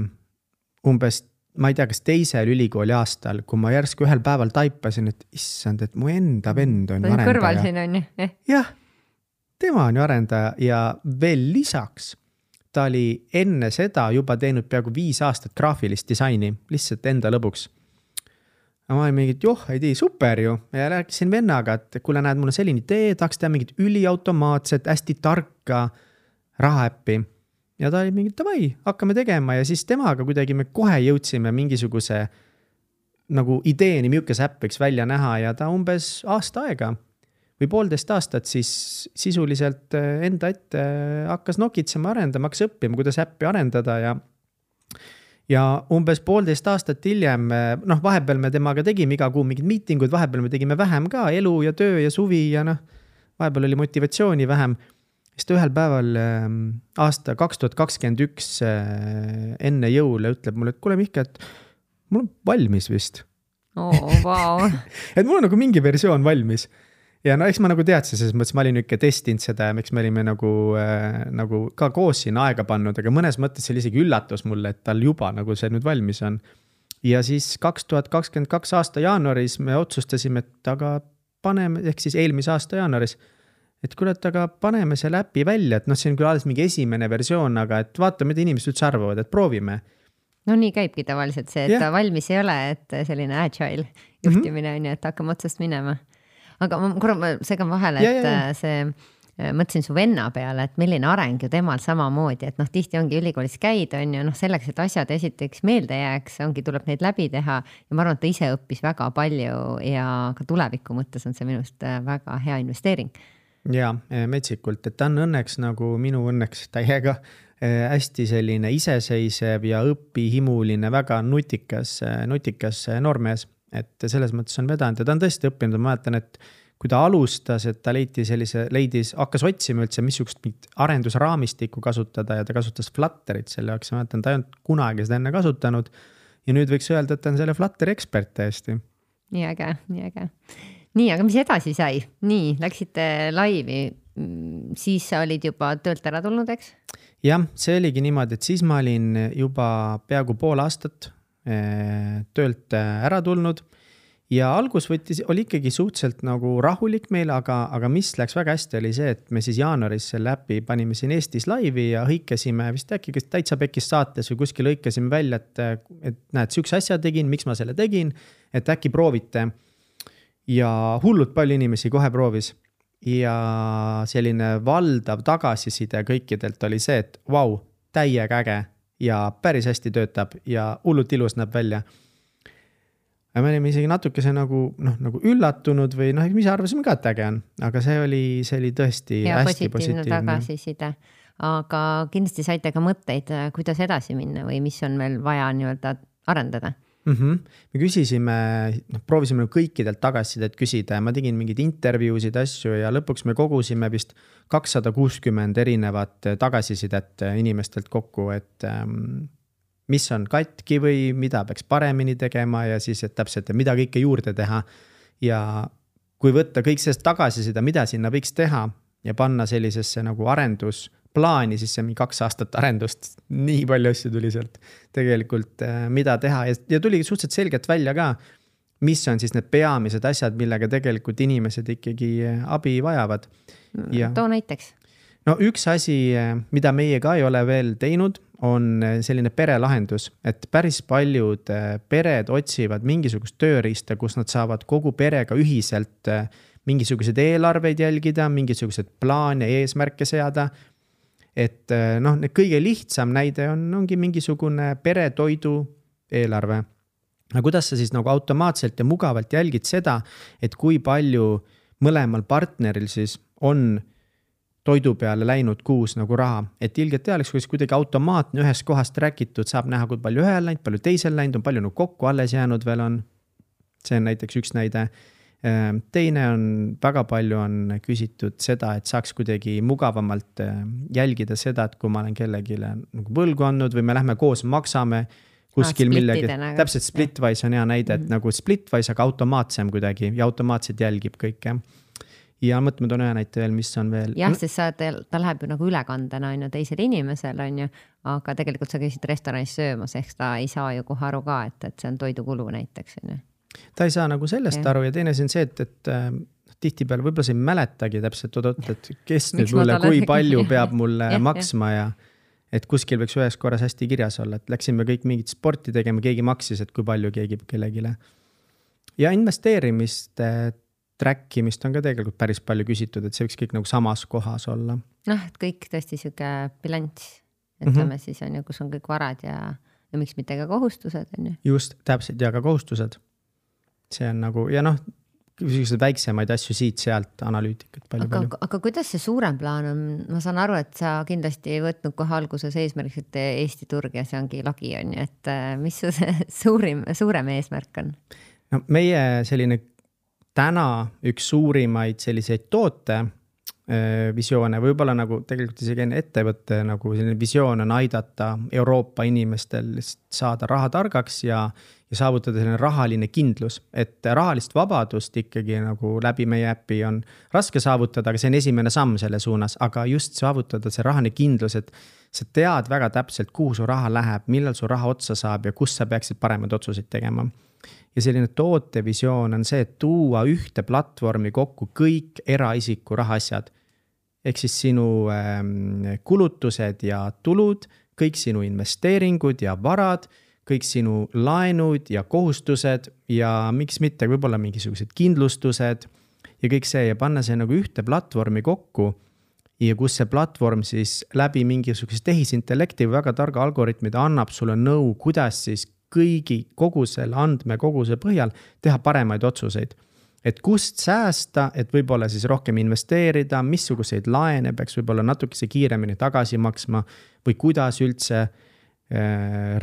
umbes, ma ei tea, kas teisel ülikooli aastal, kui ma järsku ühel päeval taipasin, et issand, et mu enda vend on arendaja. Kõrval siin on ju. Eh? Jah, tema on ju arendaja ja veel lisaks ta oli enne seda juba teinud peaaegu viis aastat graafilist disaini, lihtsalt enda lõbuks. Ja ma olin mingit, joh, ei tii, super ju. Ja rääkisin vennaga, et kuule näed, mul on selline idee, tahaks teha mingit üliautomaatset, hästi tarka rahaäppi. Ja ta oli mingit, davai, hakkame tegema ja siis temaga kuidagi me kohe jõudsime mingisuguse nagu ideeni, milkes äpp võiks välja näha ja ta umbes aasta aega või poolteist aastat siis sisuliselt enda ette hakkas nokitsema arendama, hakkas õppima, kuidas äppi arendada ja Ja umbes poolteist aastat hiljem, noh, vahepeal me temaga tegime iga kuu mingid miitingud, vahepeal me tegime vähem ka elu ja töö ja suvi ja noh, vahepeal oli motivatsiooni vähem. Siis ta ühel päeval aasta kaks tuhat kakskümmend üks enne jõule ütleb mulle, et kuule Mihke, et mul on valmis vist. Oh, wow. Et mul on nagu mingi versioon valmis. Ja no eks ma nagu teadsin, selles mõttes ma olin ikka testinud seda ja miks me olime nagu, äh, nagu ka koos siin aega pannud, aga mõnes mõttes see oli isegi üllatus mulle, et tal juba nagu see nüüd valmis on. Ja siis kaks tuhat kakskümmend kaks aasta jaanuaris me otsustasime, et aga paneme, ehk siis eelmise aasta jaanuaris, et kuule, et aga paneme selle äpi välja, et noh, see on küll alles mingi esimene versioon, aga et vaata, mida inimesed üldse arvavad, et proovime. No nii käibki tavaliselt see, et yeah. ta valmis ei ole, et selline agile juhtimine mm-hmm. on ju, et hakkame otsast minema. Aga ma korra ma segan vahele, et ja, ja, ja. see mõtlesin su venna peale, et milline areng ju temal samamoodi, et noh, tihti ongi ülikoolis käid, on ju, noh, selleks, et asjad esiteks meelde jääks, ongi, tuleb neid läbi teha ja ma arvan, et ta ise õppis väga palju ja ka tuleviku mõttes on see minust väga hea investeering. Ja metsikult, et ta on õnneks nagu minu õnneks täiega hästi selline iseseisev ja õpihimuline, väga nutikas, nutikas noormees, et selles mõttes on vedanud ja ta on tõesti õppinud, ma mäletan, et kui ta alustas, et ta leiti sellise, leidis, hakkas otsima üldse, missugust arendusraamistikku kasutada ja ta kasutas Flutterit selle jaoks, ma mäletan, ta ei olnud kunagi seda enne kasutanud ja nüüd võiks öelda, et ta on selle Flutteri ekspert täiesti. Nii äge, nii äge. Nii, aga mis edasi sai? Nii, läksite laivi, siis sa olid juba töölt ära tulnud, eks? Jah, see oligi niimoodi, et siis ma olin juba peaaegu pool aastat töölt ära tulnud ja algus võttis, oli ikkagi suhteliselt nagu rahulik meil, aga, aga mis läks väga hästi oli see, et me siis jaanuaris selle äpi panime siin Eestis laivi ja hõikasime vist äkki kas täitsa pekis saates või kuskil hõikasime välja, et, et näed, üks asja tegin, miks ma selle tegin, et äkki proovite. Ja hullult palju inimesi kohe proovis ja selline valdav tagasiside kõikidelt oli see, et vau, täiega äge ja päris hästi töötab ja hullult ilus näeb välja. Ja me olime isegi natukese nagu, noh, nagu üllatunud või noh, mis arvasime ka, et äge on, aga see oli, see oli tõesti ja hästi positiivne. Tagasiside. Aga kindlasti saite ka mõtteid, kuidas edasi minna või mis on veel vaja nii-öelda arendada? Mm-hmm. Me küsisime, no, proovisime kõikidelt tagasisidet küsida ja ma tegin mingid intervjuusid asju ja lõpuks me kogusime vist kakssada kuuskümmend erinevat tagasisidet inimestelt kokku, et ähm, mis on katki või mida peaks paremini tegema ja siis, et täpselt, et mida kõike juurde teha. Ja kui võtta kõik sellest tagasisida, mida sinna võiks teha ja panna sellisesse nagu arendusplaani, siis see mingi kaks aastat arendust, nii palju asju tuli sealt tegelikult, mida teha ja, ja tuli suhteliselt selgelt välja ka, mis on siis need peamised asjad, millega tegelikult inimesed ikkagi abi vajavad. Ja too näiteks. No üks asi, mida meie ka ei ole veel teinud, on selline perelahendus, et päris paljud pered otsivad mingisugust tööriista, kus nad saavad kogu perega ühiselt mingisugused eelarveid jälgida, mingisugused plaane ja eesmärke seada. Et noh, kõige lihtsam näide on, ongi mingisugune peretoidu eelarve. Aga kuidas sa siis nagu automaatselt ja mugavalt jälgid seda, et kui palju mõlemal partneril siis on toidu peale läinud kuus nagu raha, et ilgelt teadeks, kuidas kuidagi automaatne ühes kohast rääkitud, saab näha, kui palju ühel läinud, palju teisel läinud, on palju nagu kokku alles jäänud veel on. See on näiteks üks näide. Teine on, väga palju on küsitud seda, et saaks kuidagi mugavamalt jälgida seda, et kui ma olen kellegile nagu võlgu andnud või me lähme koos maksame kuskil ah, millegi. Nagu. Täpselt Splitwise on hea näide, et mm-hmm. nagu Splitwise, aga automaatsem kuidagi ja automaatselt jälgib kõike. Ja mõtleme toon ühe näite veel, mis on veel. Jah, sest sa, ta läheb ju nagu ülekandena on ju teisel inimesel on ju, aga tegelikult sa käisid restoranis söömas, ehk ta ei saa ju kohe aru ka, et, et see on toidukulu näiteks. On ju. Ta ei saa nagu sellest ja. Aru ja teine see on see, et, et äh, tihti peale võib-olla sa ei mäletagi täpselt, et kes nüüd mulle, kui palju peab mulle ja, maksma ja et kuskil võiks ühes korras hästi kirjas olla, et läksime kõik mingit sporti tegema, keegi maksis, et kui palju keegi kellegile. Ja investeerimist trackimist on ka tegelikult päris palju küsitud, et see võiks kõik nagu samas kohas olla. Noh, et kõik tõesti süke bilanss, ütleme mm-hmm. siis on ju, kus on kõik varad ja, ja miks mitte ka kohustused on ju. Just, täpselt ja ka kohustused. See on nagu, ja noh, väiksemaid asju siit-sealt analüütikat palju aga, palju. Aga kuidas see suurem plaan on? Ma saan aru, et sa kindlasti ei võtnud kohe alguses eesmärgiks, et Eesti turg ja see ongi lagi on ju, et mis see suurim, suurem eesmärk on? No, meie selline täna üks suurimaid selliseid toote visioone, võib-olla nagu tegelikult isegi ettevõtte nagu selline visioon on aidata Euroopa inimestel saada raha targaks ja, ja saavutada selline rahaline kindlus, et rahalist vabadust ikkagi nagu läbi meie äppi on raske saavutada, aga see on esimene samm selle suunas, aga just saavutada see rahaline kindlus, et sa tead väga täpselt, kuhu su raha läheb, millal su raha otsa saab ja kus sa peaksid paremad otsuseid tegema. Ja selline tootevisioon on see, et tuua ühte platvormi kokku kõik eraisiku rahaasjad. Ehk siis sinu ähm, kulutused ja tulud, kõik sinu investeeringud ja varad, kõik sinu laenud ja kohustused ja miks mitte võib-olla mingisugused kindlustused ja kõik see ja panna see nagu ühte platvormi kokku ja kus see platvorm siis läbi mingisuguse tehisintellekti või väga targa algoritmid annab sulle nõu, kuidas siis kõigi kogu selle andme koguse põhjal teha paremaid otsuseid. Et kust säästa, et võib-olla siis rohkem investeerida, missuguseid laene peaks võib-olla natukese kiiremini tagasi maksma või kuidas üldse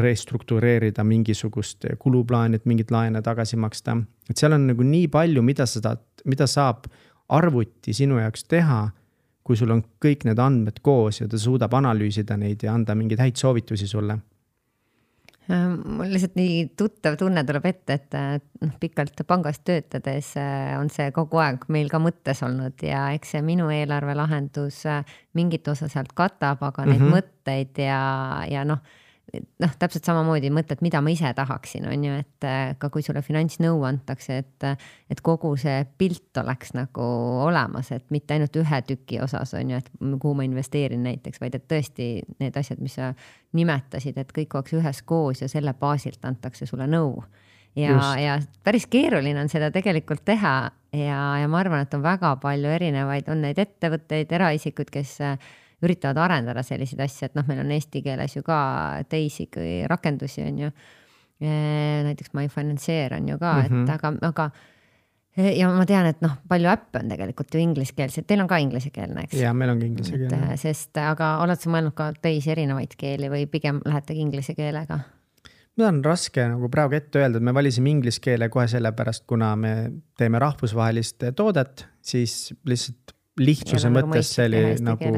restruktureerida mingisugust kuluplaani, et mingit laene tagasi maksta. Et seal on nagu nii palju, mida, seda, mida saab arvuti sinu jaoks teha, kui sul on kõik need andmed koos ja ta suudab analüüsida neid ja anda mingeid häid soovitusi sulle. Mul lihtsalt nii tuttav tunne tuleb ette, et noh, pikalt pangas töötades on see kogu aeg meil ka mõttes olnud ja eks see minu eelarve lahendus mingit osa sealt katab, aga neid mm-hmm. mõtteid ja, ja noh, noh, täpselt samamoodi mõtled, mida ma ise tahaksin, on ju, et ka kui sulle finantsnõu antakse, et, et kogu see pilt oleks nagu olemas, et mitte ainult ühe tüki osas, on ju, et kuhu ma investeerin näiteks, vaid et tõesti need asjad, mis sa nimetasid, et kõik oleks ühes koos ja selle baasilt antakse sulle nõu. Ja, ja päris keeruline on seda tegelikult teha ja, ja ma arvan, et on väga palju erinevaid, on neid ettevõtteid, eraisikud, kes üritavad arendada selliseid asju, et noh, meil on eesti keeles ju ka teisi rakendusi on ju, näiteks MyFinanceer on ju ka, mm-hmm. et aga, aga ja ma tean, et noh, palju äppe on tegelikult ju ingliskeelsed, teil on ka ingliskeelne, eks? Ja, meil on ingliskeelne. Sest, aga oled sa mõelnud ka teisi erinevaid keeli või pigem lähetegi inglise keelega? Mida on raske nagu praegu ette öelda, et me valisime ingliskeele kohe sellepärast, kuna me teeme rahvusvahelist toodet, siis lihtsalt lihtsuse mõttes see oli nagu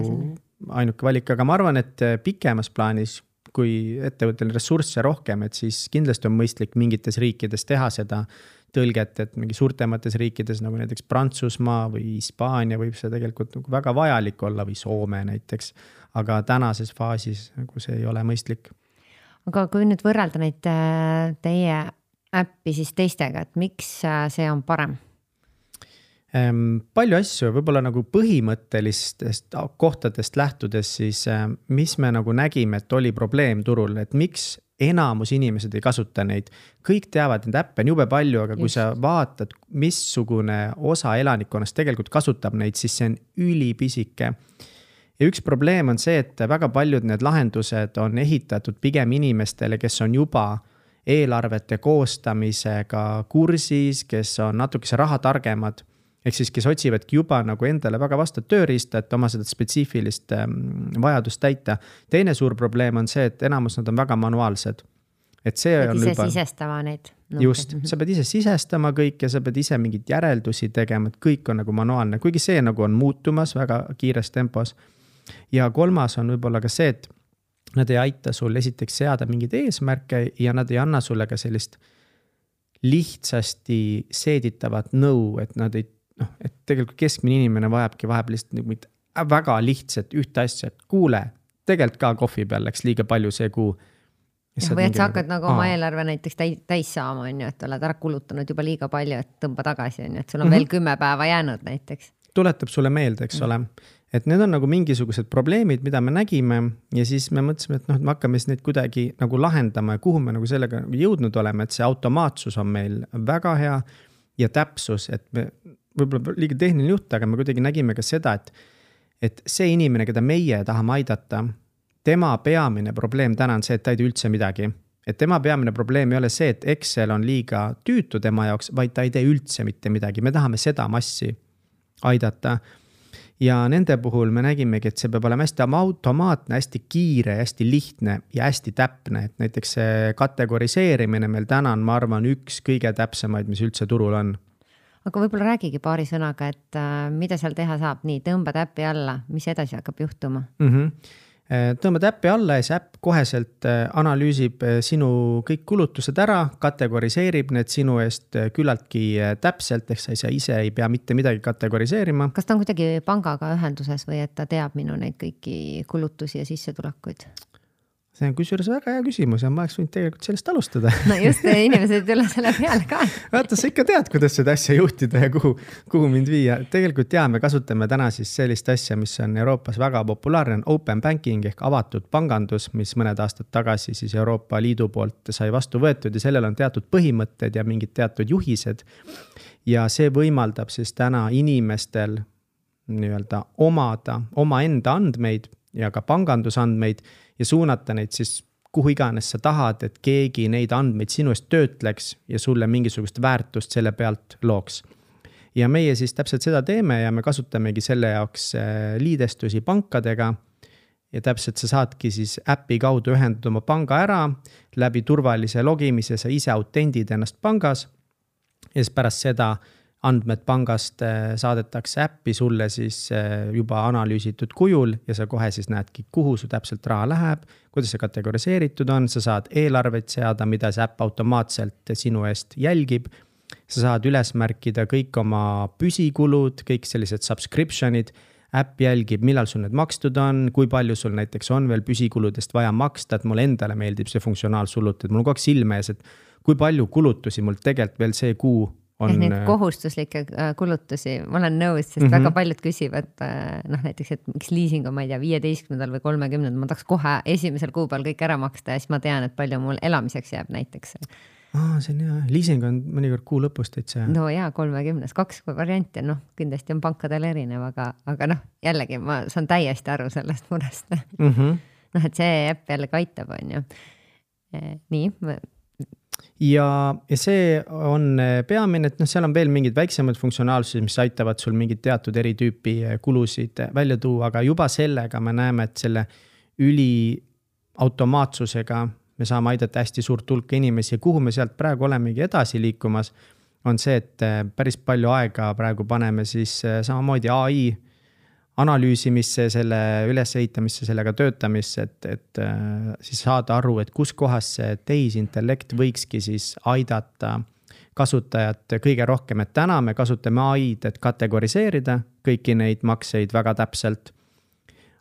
ainuke valik, aga ma arvan, et pikemas plaanis, kui ettevõttel ressursse rohkem, et siis kindlasti on mõistlik mingites riikides teha seda tõlget, et mingi suurtemates riikides nagu näiteks Prantsusmaa või Hispaania võib see tegelikult nagu väga vajalik olla või Soome näiteks, aga tänases faasis nagu see ei ole mõistlik. Aga kui nüüd võrrelda neid teie äppi siis teistega, et miks see on parem? Palju asju, võib-olla nagu põhimõttelistest kohtadest lähtudes, siis mis me nagu nägime, et oli probleem turul, et miks enamus inimesed ei kasuta neid. Kõik teavad, need äppe on jube palju, aga kui Just. Sa vaatad, missugune osa elanikkonnast tegelikult kasutab neid, siis see on ülipisike. Ja üks probleem on see, et väga paljud need lahendused on ehitatud pigem inimestele, kes on juba eelarvete koostamisega kursis, kes on natukese raha targemad. Ehk siis, kes otsivadki juba nagu endale väga vastavat tööriista, et oma seda spetsiifilist vajadust täita. Teine suur probleem on see, et enamus nad on väga manuaalsed. Et see on ise juba... sisestama neid. Just, sa pead ise sisestama kõik ja sa pead ise mingid järeldusi tegema, et kõik on nagu manuaalne, kuigi see nagu on muutumas väga kiires tempos. Ja kolmas on võib-olla ka see, et nad ei aita sul esiteks seada mingeid eesmärke ja nad ei anna sulle ka sellist lihtsasti seeditavat nõu, et nad ei noh, et tegelikult keskmine inimene vajabki vahepeal lihtsalt väga lihtsalt ühte asja, et kuule, tegelikult ka kohvi peal läks liiga palju see kuu. Ja, või et sa hakkad nagu oma eelarve näiteks täis saama, on ju, et oled ära kulutanud juba liiga palju, et tõmba tagasi, on ju, et sul on mm-hmm. veel kümme päeva jäänud näiteks. Tuletab sulle meelde, eks mm-hmm. ole. Et need on nagu mingisugused probleemid, mida me nägime ja siis me mõtlesime, et noh, et me hakkame siis neid kuidagi nagu lahendama ja kuhu me nagu sellega jõudnud oleme, et see automaatsus on meil väga hea ja täpsus, et me võib-olla liiga tehniline juht, aga me kuidagi nägime ka seda, et, et see inimene, keda meie tahame aidata, tema peamine probleem täna on see, et ta ei tee üldse midagi. Et tema peamine probleem ei ole see, et Excel on liiga tüütu tema jaoks, vaid ta ei tee üldse mitte midagi. Me tahame seda massi aidata. Ja nende puhul me nägimegi, et see peab olema hästi automaatne, hästi kiire, hästi lihtne ja hästi täpne. Et näiteks see kategoriseerimine meil täna on, ma arvan, üks kõige täpsemaid, mis üldse turul on. Aga võib-olla räägigi paari sõnaga, et äh, mida seal teha saab? Nii, tõmbad äppi alla, mis edasi hakkab juhtuma? Mm-hmm. Tõmbad äppi alla ja see äpp koheselt analüüsib sinu kõik kulutused ära, kategoriseerib need sinu eest küllaltki täpselt, ehk sa ise ei pea mitte midagi kategoriseerima. Kas ta on kuidagi pangaga ühenduses või et ta teab minu neid kõiki kulutusi ja sissetulekuid? See on kusjuures väga hea küsimus ja ma oleks võinud tegelikult sellest alustada. No just, inimesed üle selle peale ka. Vaata, sa ikka tead, kuidas seda asja juhtida ja kuhu, kuhu mind viia. Tegelikult jaa, me kasutame täna siis sellist asja, mis on Euroopas väga populaarne, on open banking ehk avatud pangandus, mis mõned aastad tagasi siis Euroopa Liidu poolt sai vastu võetud ja sellel on teatud põhimõtted ja mingid teatud juhised. Ja see võimaldab siis täna inimestel nii-öelda omada omaenda andmeid ja ka pangandusandmeid ja suunata neid siis kuhu iganes sa tahad, et keegi neid andmeid sinu eest töötleks ja sulle mingisugust väärtust selle pealt looks. Ja meie siis täpselt seda teeme ja me kasutamegi selle jaoks liidestusi pankadega ja täpselt sa saadki siis äpi kaudu ühendada oma panga ära, läbi turvalise logimise sa ise autendid ennast pangas ja siis pärast seda andmed pangast saadetakse äppi sulle siis juba analüüsitud kujul ja sa kohe siis näedki, kuhu su täpselt raha läheb, kuidas see kategoriseeritud on, sa saad eelarveid seada, mida see äpp automaatselt sinu eest jälgib. Sa saad üles märkida kõik oma püsikulud, kõik sellised subscriptionid, äpp jälgib, millal sul need makstud on, kui palju sul näiteks on veel püsikuludest vaja maksta, et mulle endale meeldib see funktsionaalsulut, et mul on kogu aeg silme ees, et kui palju kulutusi mul tegelikult veel see kuu on. Ehk neid kohustuslikke kulutusi, ma olen nõus, sest mm -hmm. väga paljud küsivad, noh näiteks, et miks liising on, ma ei tea, viieteistkümnendal või kolmekümnendal, ma tahaks kohe esimesel kuupäeval kõik ära maksta ja siis ma tean, et palju mul elamiseks jääb näiteks. Aa, see on hea, liising on mõnikord kuu lõpust täitsa. No jaa, kolmekümnes, kaks varianti, noh, kindlasti on pankadel erinev, aga, aga noh, jällegi ma saan täiesti aru sellest murest. Mm -hmm. Noh, et see äpp jällegi aitab, on ju. Nii. Ja, ja see on peamine, et noh, seal on veel mingid väiksemad funktsionaalsused, mis aitavad sul mingid teatud eri tüüpi kulusid välja tuua, aga juba sellega me näeme, et selle üli automaatsusega me saame aidata hästi suurt hulka inimesi ja kuhu me sealt praegu olemegi edasi liikumas, on see, et päris palju aega praegu paneme siis samamoodi A I analüüsimisse, selle ülesehitamisse, sellega töötamisse, et, et siis saada aru, et kus kohas see tehisintellekt võikski siis aidata kasutajat kõige rohkem, et täna me kasutame A I-d, et kategoriseerida kõiki neid makseid väga täpselt.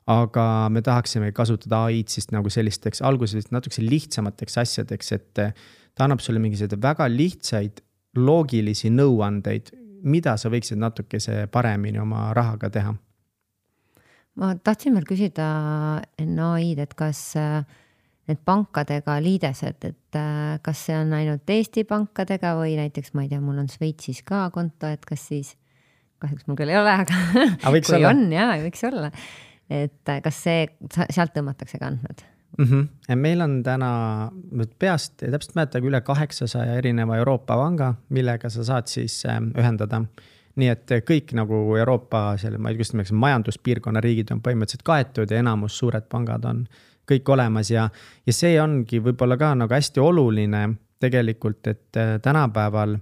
Aga me tahaksime kasutada A I-d siis nagu sellisteks alguses natuke lihtsamateks asjadeks, et ta annab sulle mingisugused väga lihtsaid loogilisi nõuandeid, mida sa võiksid natukese paremini oma rahaga teha. Ma tahtsin veel küsida enne A I-d, et kas need pankadega liidesed, et kas see on ainult Eesti pankadega või näiteks, ma ei tea, mul on Šveitsis ka konto, et kas siis, kahjuks mul küll ei ole, aga, aga kui olla. On, jaa, võiks olla. Et kas see, sealt tõmmatakse ka andmed? Mm -hmm. Meil on täna peast, täpselt mäletagi üle kaheksasaja erineva Euroopa panga, millega sa saad siis ühendada. Nii et kõik nagu Euroopa selle, ma ei tea, kuidas majanduspiirkonna riigid on põhimõtteliselt kaetud ja enamus suured pangad on kõik olemas ja, ja see ongi võib-olla ka nagu hästi oluline tegelikult, et tänapäeval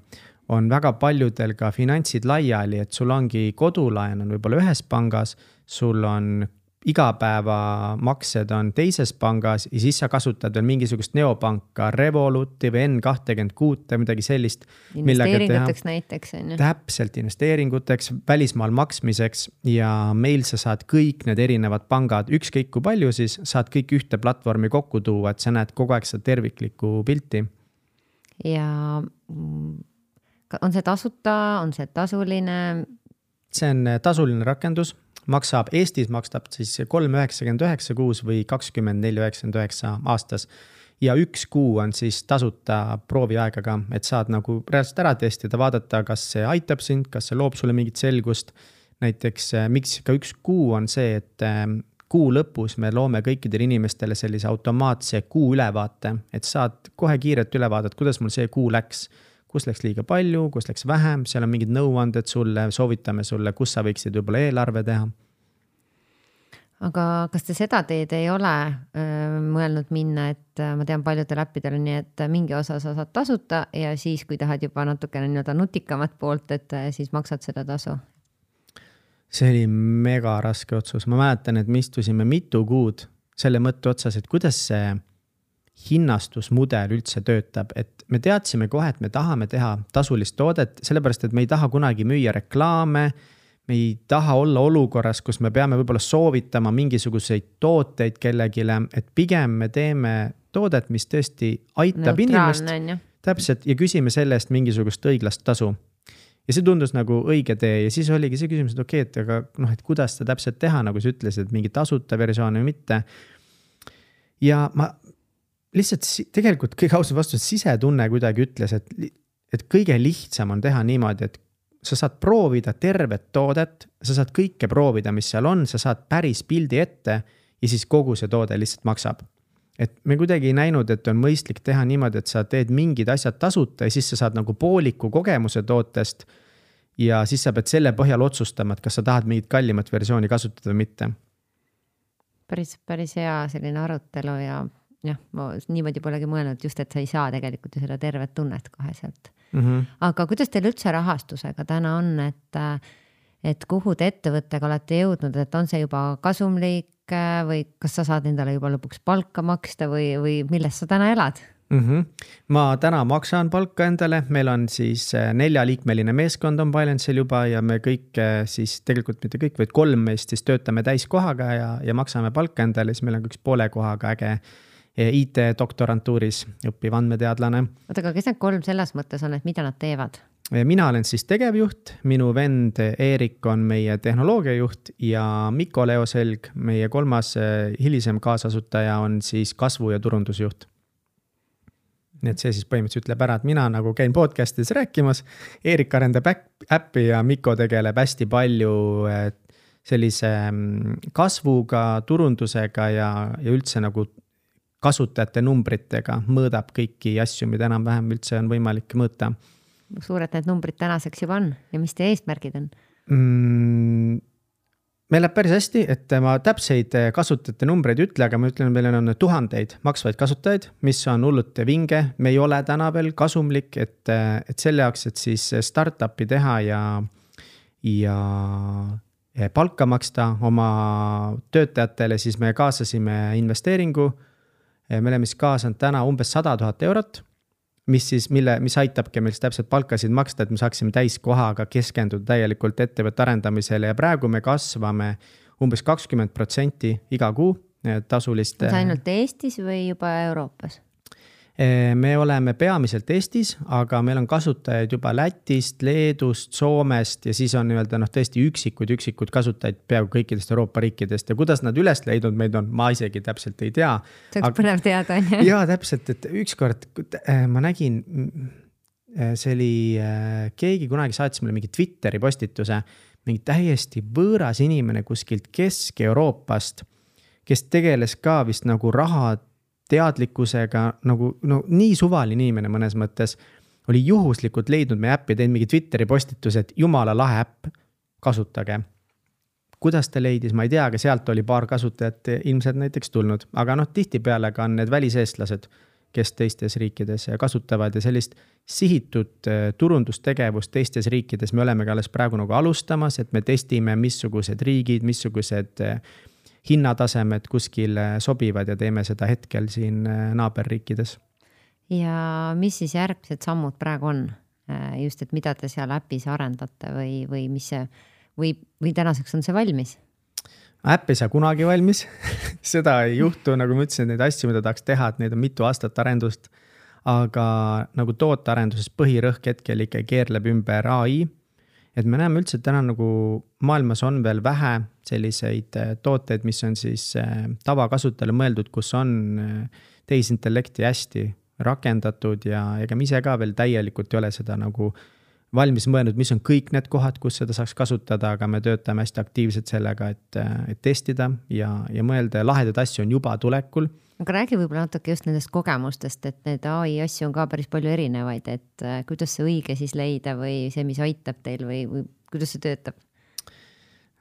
on väga paljudel ka finantsid laiali, et sul ongi kodulaen on võib-olla ühes pangas, sul on igapäeva maksed on teises pangas ja siis sa kasutad veel mingisugust neopanka, Revoluti või N kakskümmend kuus või midagi sellist. Investeeringuteks näiteks. On ju. Täpselt investeeringuteks, välismaal maksmiseks ja meil sa saad kõik need erinevad pangad, ükskõik kui palju siis saad kõik ühte platvormi kokku tuua, et sa näed kogu aeg seda terviklikku pilti. Ja on see tasuta, on see tasuline? See on tasuline rakendus. Maksab, Eestis makstab siis kolm üheksakümmend üheksa kuus või kakskümmend neli üheksakümmend üheksa aastas ja üks kuu on siis tasuta prooviaegaga, et saad nagu reaalselt ära testida, vaadata, kas see aitab sind, kas see loob sulle mingit selgust. Näiteks miks ka üks kuu on see, et kuu lõpus me loome kõikidele inimestele sellise automaatse kuu ülevaate, et saad kohe kiiret ülevaadet, kuidas mul see kuu läks. Kus läks liiga palju, kus läks vähem, seal on mingid nõuanded sulle, soovitame sulle, kus sa võiksid võib-olla eelarve teha. Aga kas te seda teed ei ole öö, mõelnud minna, et ma tean paljudel äppidel on nii, et mingi osa sa saad tasuta ja siis, kui tahad juba natukene nii-öelda nutikamat poolt, et siis maksad seda tasu? See oli mega raske otsus. Ma mäletan, et me istusime mitu kuud selle mõtte otsas, et kuidas see hinnastusmudel üldse töötab, et me teadsime kohe, et me tahame teha tasulist toodet, sellepärast, et me ei taha kunagi müüa reklaame, me ei taha olla olukorras, kus me peame võib-olla soovitama mingisuguseid tooteid kellegile, et pigem me teeme toodet, mis tõesti aitab inimest. Täpselt, ja küsime selle eest mingisugust õiglast tasu. Ja see tundus nagu õige tee ja siis oligi see küsimus, et okei, et aga noh, et kuidas seda täpselt teha, nagu sa ütlesid, et mingi tasuta versioon või mitte. Ja ma lihtsalt tegelikult kõige ausalt vastus sisetunne kuidagi ütles, et, et kõige lihtsam on teha niimoodi, et sa saad proovida tervet toodet, sa saad kõike proovida, mis seal on, sa saad päris pildi ette ja siis kogu see toode lihtsalt maksab. Et me kuidagi ei näinud, et on mõistlik teha niimoodi, et sa teed mingid asjad tasuta ja siis sa saad nagu pooliku kogemuse tootest ja siis sa pead selle põhjal otsustama, et kas sa tahad mingit kallimat versiooni kasutada või mitte. Päris, päris hea selline arutelu ja jah, ma niimoodi polegi mõelnud just, et sa ei saa tegelikult ju seda tervet tunnet kohe sealt. Mm-hmm. Aga kuidas teil üldse rahastusega täna on, et, et kuhu te ettevõttega olete jõudnud, et on see juba kasumlik või kas sa saad endale juba lõpuks palka maksta või, või millest sa täna elad? Mm-hmm. Ma täna maksan palka endale, meil on siis neljaliikmeline meeskond on Bylance'il juba ja me kõik siis tegelikult mitte kõik, vaid kolm meist siis töötame täiskohaga ja, ja maksame palka endale, siis meil on üks poole kohaga äge I T-doktorantuuris õppiv andmeteadlane. Oota, aga kes need kolm selles mõttes on, et mida nad teevad? Mina olen siis tegevjuht, minu vend Eerik on meie tehnoloogiajuht ja Mikko Leoselg, meie kolmas hilisem kaasasutaja on siis kasvu- ja turundusjuht. Nii et see siis põhimõtteliselt ütleb ära, et mina nagu käin podcastis rääkimas, Eerik arendab äppi ja Mikko tegeleb hästi palju sellise kasvuga, turundusega ja, ja üldse nagu kasutajate numbritega mõõdab kõiki asju, mida enam-vähem üldse on võimalik mõõta. Suured need numbrid tänaseks juba on ja mis teie eesmärgid on? Mm, meil läheb päris hästi, et ma täpseid kasutajate numbreid ütle, aga ma ütlen, meil on tuhandeid maksvaid kasutajaid, mis on hullult vinge. Me ei ole täna veel kasumlik, et, et selle jaoks, et siis startupi teha ja, ja palka maksta oma töötajatele, siis me kaasasime investeeringu. Me oleme siis kaasanud täna umbes sada tuhat eurot, mis, siis, mille, mis aitabki meil täpselt palkasid maksta, et me saaksime täiskohaga keskenduda täielikult ettevõtte arendamisele ja praegu me kasvame umbes kakskümmend protsenti iga kuu tasulist. On see ainult Eestis või juba Euroopas? Me oleme peamiselt Eestis, aga meil on kasutajaid juba Lätist, Leedust, Soomest ja siis on nii-öelda noh, tõesti üksikud, üksikud kasutajaid peaaegu kõikidest Euroopa riikidest ja kuidas nad üles leidnud meid on, ma isegi täpselt ei tea. See oleks põnev teada, on jah? Jaa, täpselt, et ükskord ma nägin, see oli, keegi kunagi saatis mulle mingi Twitteri postituse, mingi täiesti võõras inimene kuskilt Kesk-Euroopast, kes tegeles ka vist nagu raha teadlikkusega, nagu no, nii suvaline inimene mõnes mõttes, oli juhuslikult leidnud meie äppi, teinud mingi Twitteri postituse, et jumala lahe äpp, kasutage. Kuidas ta leidis, ma ei tea, aga sealt oli paar kasutajat ilmselt näiteks tulnud. Aga noh, tihtipeale ka on need väliseestlased, kes teistes riikides kasutavad ja sellist sihitud turundustegevust teistes riikides me oleme ka alles praegu nagu alustamas, et me testime, missugused riigid, missugused hinnatasemed kuskil sobivad ja teeme seda hetkel siin naaberriikides. Ja mis siis järgmised sammud praegu on? Just, et mida te seal äpis arendate või, või, mis see, või, või tänaseks on see valmis? Äpp ei saa kunagi valmis. Seda ei juhtu, nagu ma ütlesin, neid asju, mida tahaks teha, et neid on mitu aastat arendust. Aga nagu tootearenduses põhirõhk hetkel ikka keerleb ümber A I. Et me näeme üldse, et täna nagu maailmas on veel vähe selliseid tooteid, mis on siis tavakasutajale mõeldud, kus on tehisintellekti hästi rakendatud ja ega me ise ka veel täielikult ei ole seda nagu valmis mõelnud, mis on kõik need kohad, kus seda saaks kasutada, aga me töötame hästi aktiivselt sellega, et, et testida ja, ja mõelda ja lahedad asju on juba tulekul. Aga räägi võib-olla natuke just nendest kogemustest, et need A I asju on ka päris palju erinevaid, et kuidas see õige siis leida või see, mis aitab teil või, või kuidas see töötab?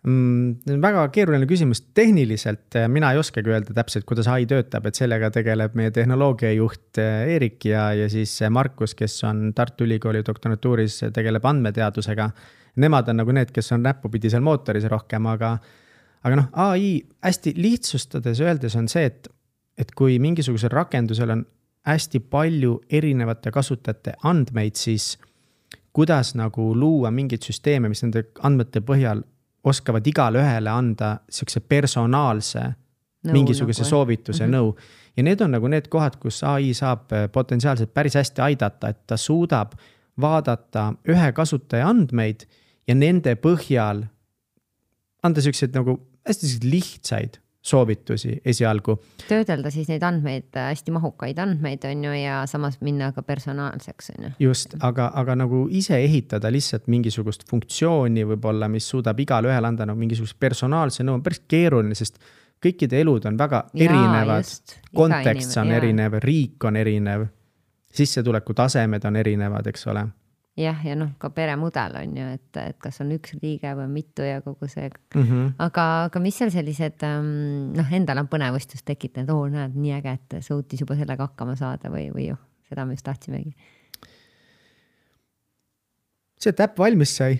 Mm, väga keeruline küsimus. Tehniliselt mina ei oskagi öelda täpselt, kuidas A I töötab, et sellega tegeleb meie tehnoloogiajuht Eerik ja, ja siis Markus, kes on Tartu Ülikooli doktorantuuris, tegeleb andmeteadusega. Nemad on nagu need, kes on näppupidi seal mootoris rohkem, aga, aga noh, A I hästi lihtsustades öeldes on see, et et kui mingisugusel rakendusel on hästi palju erinevate kasutajate andmeid, siis kuidas nagu luua mingid süsteeme, mis nende andmete põhjal oskavad igale ühele anda siukse personaalse no, mingisuguse nagu, soovituse mm-hmm. nõu. Ja need on nagu need kohad, kus A I saab potentsiaalselt päris hästi aidata, et ta suudab vaadata ühe kasutaja andmeid ja nende põhjal anda siukseid nagu hästi lihtsaid soovitusi esialgu. Töödelda siis neid andmeid, hästi mahukaid andmeid on ju ja samas minna ka personaalseks on ju. Just, aga, aga nagu ise ehitada lihtsalt mingisugust funktsiooni võib-olla, mis suudab igale ühele anda nagu mingisugust personaalse nõu, on päris keeruline, sest kõikide elud on väga Jaa, erinevad, just, kontekst on jah. erinev, riik on erinev, sissetuleku tasemed on erinevad, eks ole. Jah, ja noh, ka peremudel on ju, et, et kas on üks liige või mitu ja kogu see. Mm -hmm. aga, aga mis seal sellised, noh, endal on põnevustust tekitanud, oo, näed, nii äge, et suutis juba sellega hakkama saada või, või ju, seda me just tahtsimegi. See, et äpp valmis sai.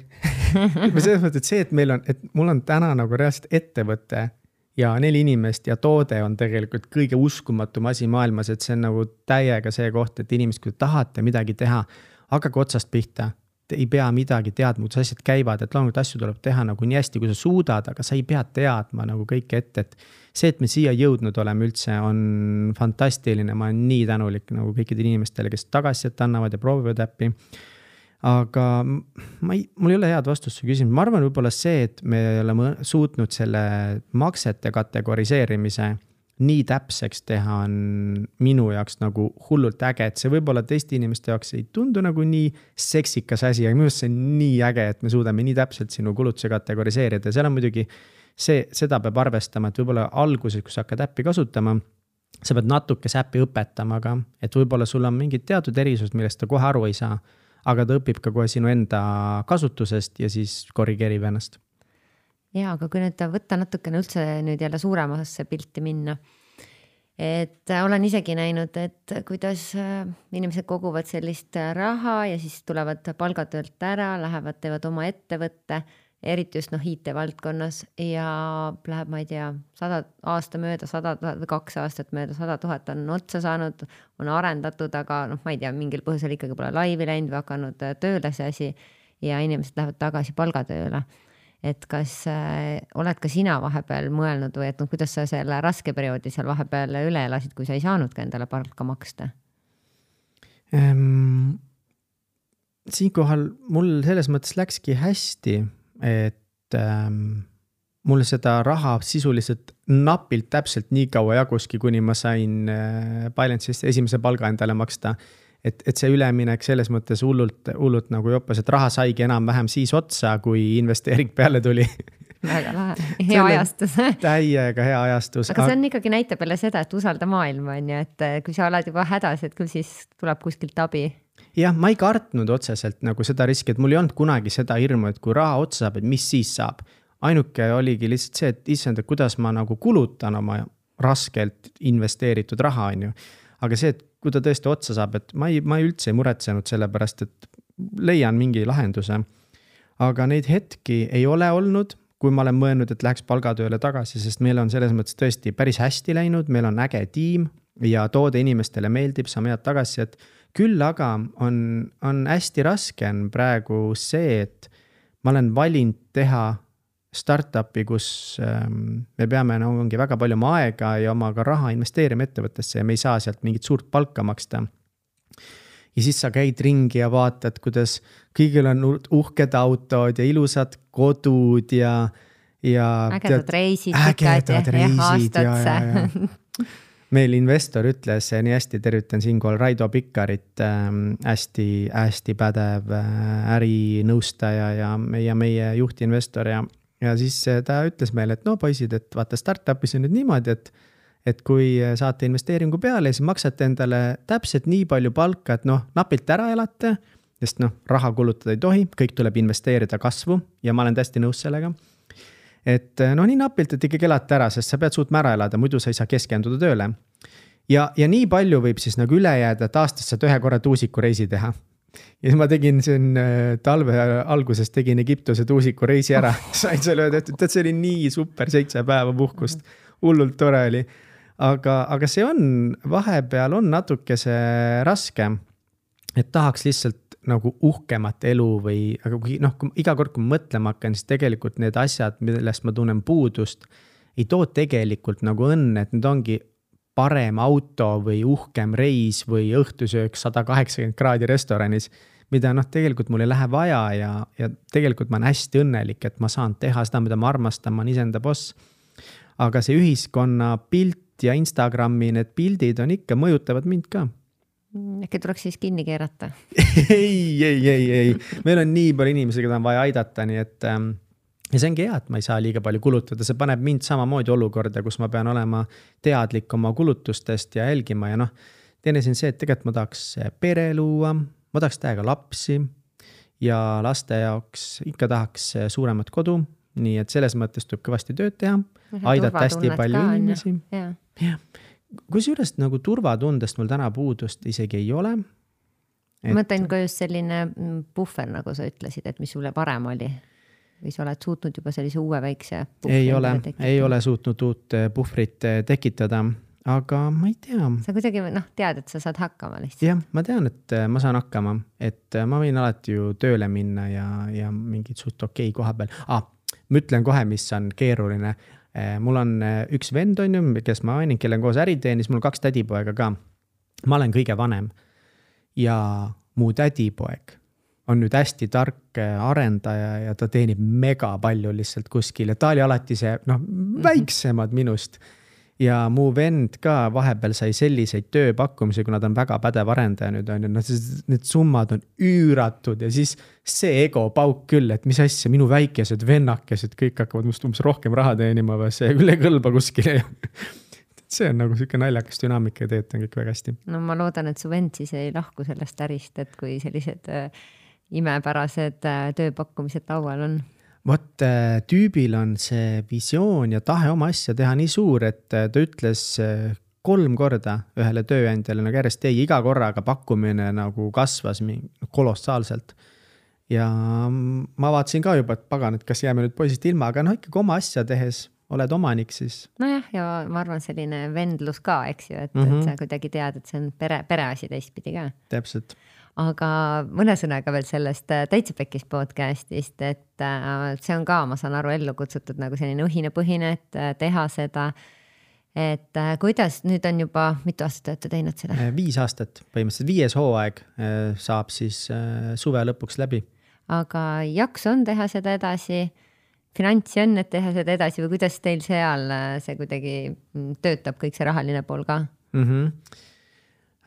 selles mõttes, et see, et meil on, et mul on täna nagu reaalselt ettevõte ja neli inimest ja toode on tegelikult kõige uskumatum asi maailmas, et see on nagu täiega see koht, et inimesed, kui tahate midagi teha, hakake otsast pihta. Te ei pea midagi teadma, kuidas asjad käivad, et loomulikult asju tuleb teha nagu nii hästi, kui sa suudad, aga sa ei pea teadma nagu kõike ette, et see, et me siia jõudnud oleme üldse, on fantastiline. Ma olen nii tänulik nagu kõikidele inimestele, kes tagasisidet annavad ja proovivad äppi. Aga ma ei, mul ei ole head vastust küsimus. Ma arvan võib-olla see, et me oleme suutnud selle maksete kategoriseerimise nii täpseks teha on minu jaoks nagu hullult äge, et see võib-olla teiste inimeste jaoks ei tundu nagu nii seksikas asi, aga minu arust see on nii äge, et me suudame nii täpselt sinu kulutuse kategoriseerida. Seal on muidugi see, seda peab arvestama, et võib-olla alguses, kui sa hakkad äppi kasutama, sa pead natuke äppi õpetama, aga et võib-olla sul on mingid teatud erisused, millest ta kohe aru ei saa, aga ta õpib ka kohe sinu enda kasutusest ja siis korrigeerib ennast. Ja, aga kui nüüd võtta natukene üldse nüüd jälle suuremasse pilti minna, et olen isegi näinud, et kuidas inimesed koguvad sellist raha ja siis tulevad palgatöölt ära, lähevad, teevad oma ettevõtte, eriti just noh, I T-valdkonnas ja läheb, ma ei tea, sada aasta mööda, sada tuhat või kaks aastat mööda, sada tuhat on otsa saanud, on arendatud, aga noh, ma ei tea, mingil põhjusel ikkagi pole laivi läinud või hakanud tööle see asi ja inimesed lähevad tagasi palgatööle. Et kas äh, oled ka sina vahepeal mõelnud või et no, kuidas sa selle raske perioodi seal vahepeal üle elasid, kui sa ei saanud ka endale palka maksta? Ähm, siinkohal mul selles mõttes läkski hästi, et ähm, mul seda raha sisuliselt napilt täpselt nii kaua jaguski, kuni ma sain äh, Balancist esimese palga endale maksta. Et, et see üleminek selles mõttes hullult, hullult nagu joppas, et raha saigi enam-vähem siis otsa, kui investeering peale tuli. Väga lahe, hea ajastus. Täiega hea ajastus. Aga see on ikkagi näitab jälle seda, et usalda maailma on ju, et kui sa oled juba hädas, et küll siis tuleb kuskilt abi. Jah, ma ei kartnud otseselt nagu seda riski, et mul ei olnud kunagi seda hirmu, et kui raha otsa saab, et mis siis saab. Ainuke oligi lihtsalt see, et issand, et kuidas ma nagu kulutan oma raskelt investeeritud raha on ju. Aga see, et kui ta tõesti otsa saab, et ma ei, ma ei üldse ei muretsenud selle pärast, et leian mingi lahenduse. Aga neid hetki ei ole olnud, kui ma olen mõelnud, et läheks palgatööle tagasi, sest meil on selles mõttes tõesti päris hästi läinud, meil on äge tiim ja toode inimestele meeldib, saame head tagasi, et küll aga on, on hästi raske on praegu see, et ma olen valinud teha startupi, kus ähm, me peame no, ongi väga palju oma aega ja oma ka raha investeerima ettevõttesse ja me ei saa sealt mingit suurt palka maksta. Ja siis sa käid ringi ja vaatad, kuidas kõigil on uhked autod ja ilusad kodud ja, ja ägedad reisid, ägedad reisid ja, ja, ja. Meil investor ütles nii hästi, tervitan siinkohal Raido Pikkarit, ähm, hästi, hästi pädev äh, ärinõustaja ja meie, meie juhtinvestor ja Ja siis ta ütles meile, et no poisid, et vaata startupis on nüüd niimoodi, et, et kui saate investeeringu peale, siis maksate endale täpselt nii palju palka, et noh, napilt ära elate, sest noh, raha kulutada ei tohi, kõik tuleb investeerida kasvu ja ma olen täiesti nõus sellega. Et noh, nii napilt, et ikkagi elate ära, sest sa pead suutma ära elada, muidu sa ei saa keskenduda tööle. Ja, ja nii palju võib siis nagu üle jääda, et aastast saad ühe korra tuusiku reisi teha. Ja ma tegin siin talve alguses tegin Egiptuse tuusiku reisi ära. Sain selle öelda, et see oli nii super seitse päeva puhkust. Hullult tore oli. Aga, aga see on, vahepeal on natuke see raske, et tahaks lihtsalt nagu uhkemat elu või, aga kui, noh, kui iga kord, kui mõtlema hakkan, siis tegelikult need asjad, millest ma tunnen puudust, ei too tegelikult nagu õnne, et need ongi parem auto või uhkem reis või õhtusöök sada kaheksakümmend kraadi restoranis, mida noh, tegelikult mul ei lähe vaja ja, ja tegelikult ma olen hästi õnnelik, et ma saan teha seda, mida ma armastan, ma olen iseenda boss. aga see ühiskonna pilt ja Instagrami need pildid on ikka, mõjutavad mind ka. Äkki tuleks siis kinni keerata? ei, ei, ei, ei. Meil on nii palju inimesi, keda on vaja aidata, nii et ähm, ja see ongi hea, et ma ei saa liiga palju kulutada. See paneb mind samamoodi olukorda, kus ma pean olema teadlik oma kulutustest ja jälgima ja noh, teine siin see, et tegelikult ma tahaks pere luua, ma tahaks täiega lapsi ja laste jaoks ikka tahaks suuremat kodu, nii et selles mõttes tuleb kõvasti tööd teha, aidata hästi palju ka, inimesi. Ja. Ja. Kusjuures nagu turvatundest mul täna puudust isegi ei ole. Et... Ma mõtlen ka just selline puhver, nagu sa ütlesid, et mis sulle parem oli. Või sa oled suutnud juba sellise uue väikse puhvri? Ei ole, ei ole suutnud uut puhvrit tekitada, aga ma ei tea. Sa kuidagi noh, tead, et sa saad hakkama lihtsalt. Jah, ma tean, et ma saan hakkama, et ma võin alati ju tööle minna ja, ja mingid suht okei koha peal. Ah, ma ütlen kohe, mis on keeruline. Mul on üks vend on ju, kes ma ainin, kelle on koos äriteenis, mul on kaks tädipoega ka. Ma olen kõige vanem ja mu tädipoeg on nüüd hästi tark arendaja ja ta teenib mega palju lihtsalt kuskil ja ta oli alati see noh, väiksemad minust. Ja mu vend ka vahepeal sai selliseid tööpakkumisi, kuna ta on väga pädev arendaja nüüd on. No, need summad on üüratud ja siis see ego pauk küll, et mis asja, minu väikesed vennakesed, kõik hakkavad must umbes rohkem raha teenima või see küll ei kõlba kuskile. See on nagu siuke naljakas dünaamika ja teed on kõik väga hästi. No ma loodan, et su vend siis ei lahku sellest ärist, et kui sellised äh, imepärased äh, tööpakkumised laual on. Vot tüübil on see visioon ja tahe oma asja teha nii suur, et ta ütles kolm korda ühele tööandjale nagu järjest ei, iga korraga pakkumine nagu kasvas kolossaalselt. Ja ma vaatasin ka juba, et pagan, et kas jääme nüüd poisist ilma, aga noh, ikkagi oma asja tehes oled omanik siis. Nojah, ja ma arvan selline vendlus ka, eks ju, et, mm -hmm. et sa kuidagi tead, et see on pere, pereasi teistpidi ka. Täpselt. Aga mõne sõnaga veel sellest Täitsa Pekkis podcastist, et see on ka, ma saan aru, ellu kutsutud nagu selline õhinapõhine, et teha seda, et kuidas nüüd on juba, mitu aastat olete teinud seda? Viis aastat, põhimõtteliselt viies hooaeg saab siis suve lõpuks läbi. Aga jaks on teha seda edasi, finantsi on, et teha seda edasi või kuidas teil seal see kuidagi töötab kõik see rahaline pool ka? Mhm.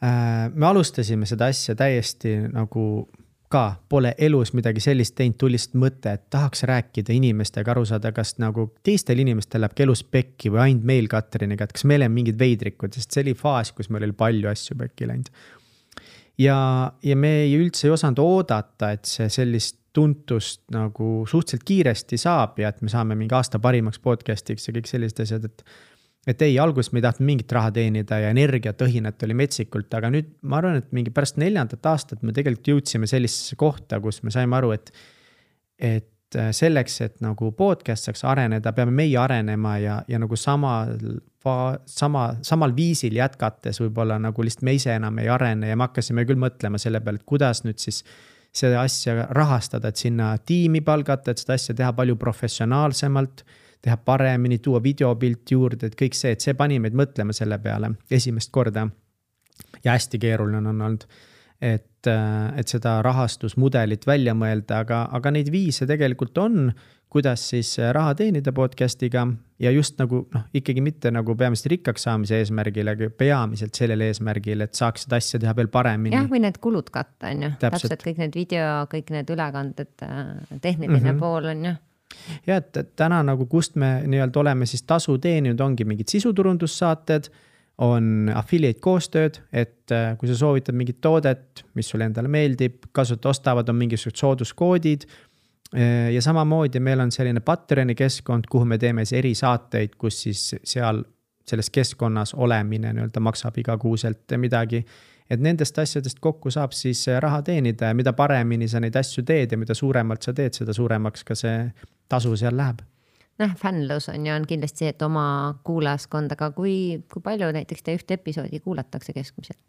Me alustasime seda asja täiesti nagu ka pole elus midagi sellist teinud, tulist mõte, et tahaks rääkida inimestega aru saada, kas nagu teistel inimestel läheb elus pekki või ainult meil Katriniga, et kas meil on mingid veidrikud, sest see oli faas, kus meil oli palju asju pekki läinud. Ja, ja me ei üldse ei osanud oodata, et see sellist tuntust nagu suhteliselt kiiresti saab ja et me saame mingi aasta parimaks podcastiks ja kõik sellised asjad, et Et ei, alguses me ei tahtnud mingit raha teenida ja energiat õhinat oli metsikult, aga nüüd ma arvan, et mingi pärast neljandat aastat me tegelikult jõudsime sellisesse kohta, kus me saime aru, et, et selleks, et nagu podcast saaks areneda, peame meie arenema ja, ja nagu sama, sama, samal viisil jätkates võib-olla nagu lihtsalt me ise enam ei arene ja me hakkasime küll mõtlema selle peale, et kuidas nüüd siis seda asja rahastada, et sinna tiimi palgata, et seda asja teha palju professionaalsemalt, teha paremini, tuua videopilt juurde, et kõik see, et see pani meid mõtlema selle peale esimest korda. Ja hästi keeruline on olnud, et, et seda rahastusmudelit välja mõelda, aga, aga neid viise tegelikult on, kuidas siis raha teenida podcastiga ja just nagu noh, ikkagi mitte nagu peamiselt rikkaks saamise eesmärgil, aga peamiselt sellele eesmärgil, et saaks seda asja teha veel paremini. Jah, või need kulud katta on ju. Täpselt kõik need video, kõik need ülekanded, tehniline mm -hmm. pool on ju. Ja et täna nagu kust me nii-öelda oleme siis tasu teeninud, ongi mingid sisuturundussaated, on affiliate koostööd, et kui sa soovitad mingit toodet, mis sulle endale meeldib, kasutajad ostavad, on mingisugused sooduskoodid ja samamoodi meil on selline Patreoni keskkond, kuhu me teeme eri saateid, kus siis seal selles keskkonnas olemine nii-öelda maksab igakuuselt midagi. Et nendest asjadest kokku saab siis raha teenida ja mida paremini sa neid asju teed ja mida suuremalt sa teed, seda suuremaks ka see tasu seal läheb. Noh, fännlus on ju on kindlasti see, et oma kuulajaskond, aga kui, kui palju näiteks te ühte episoodi kuulatakse keskmiselt?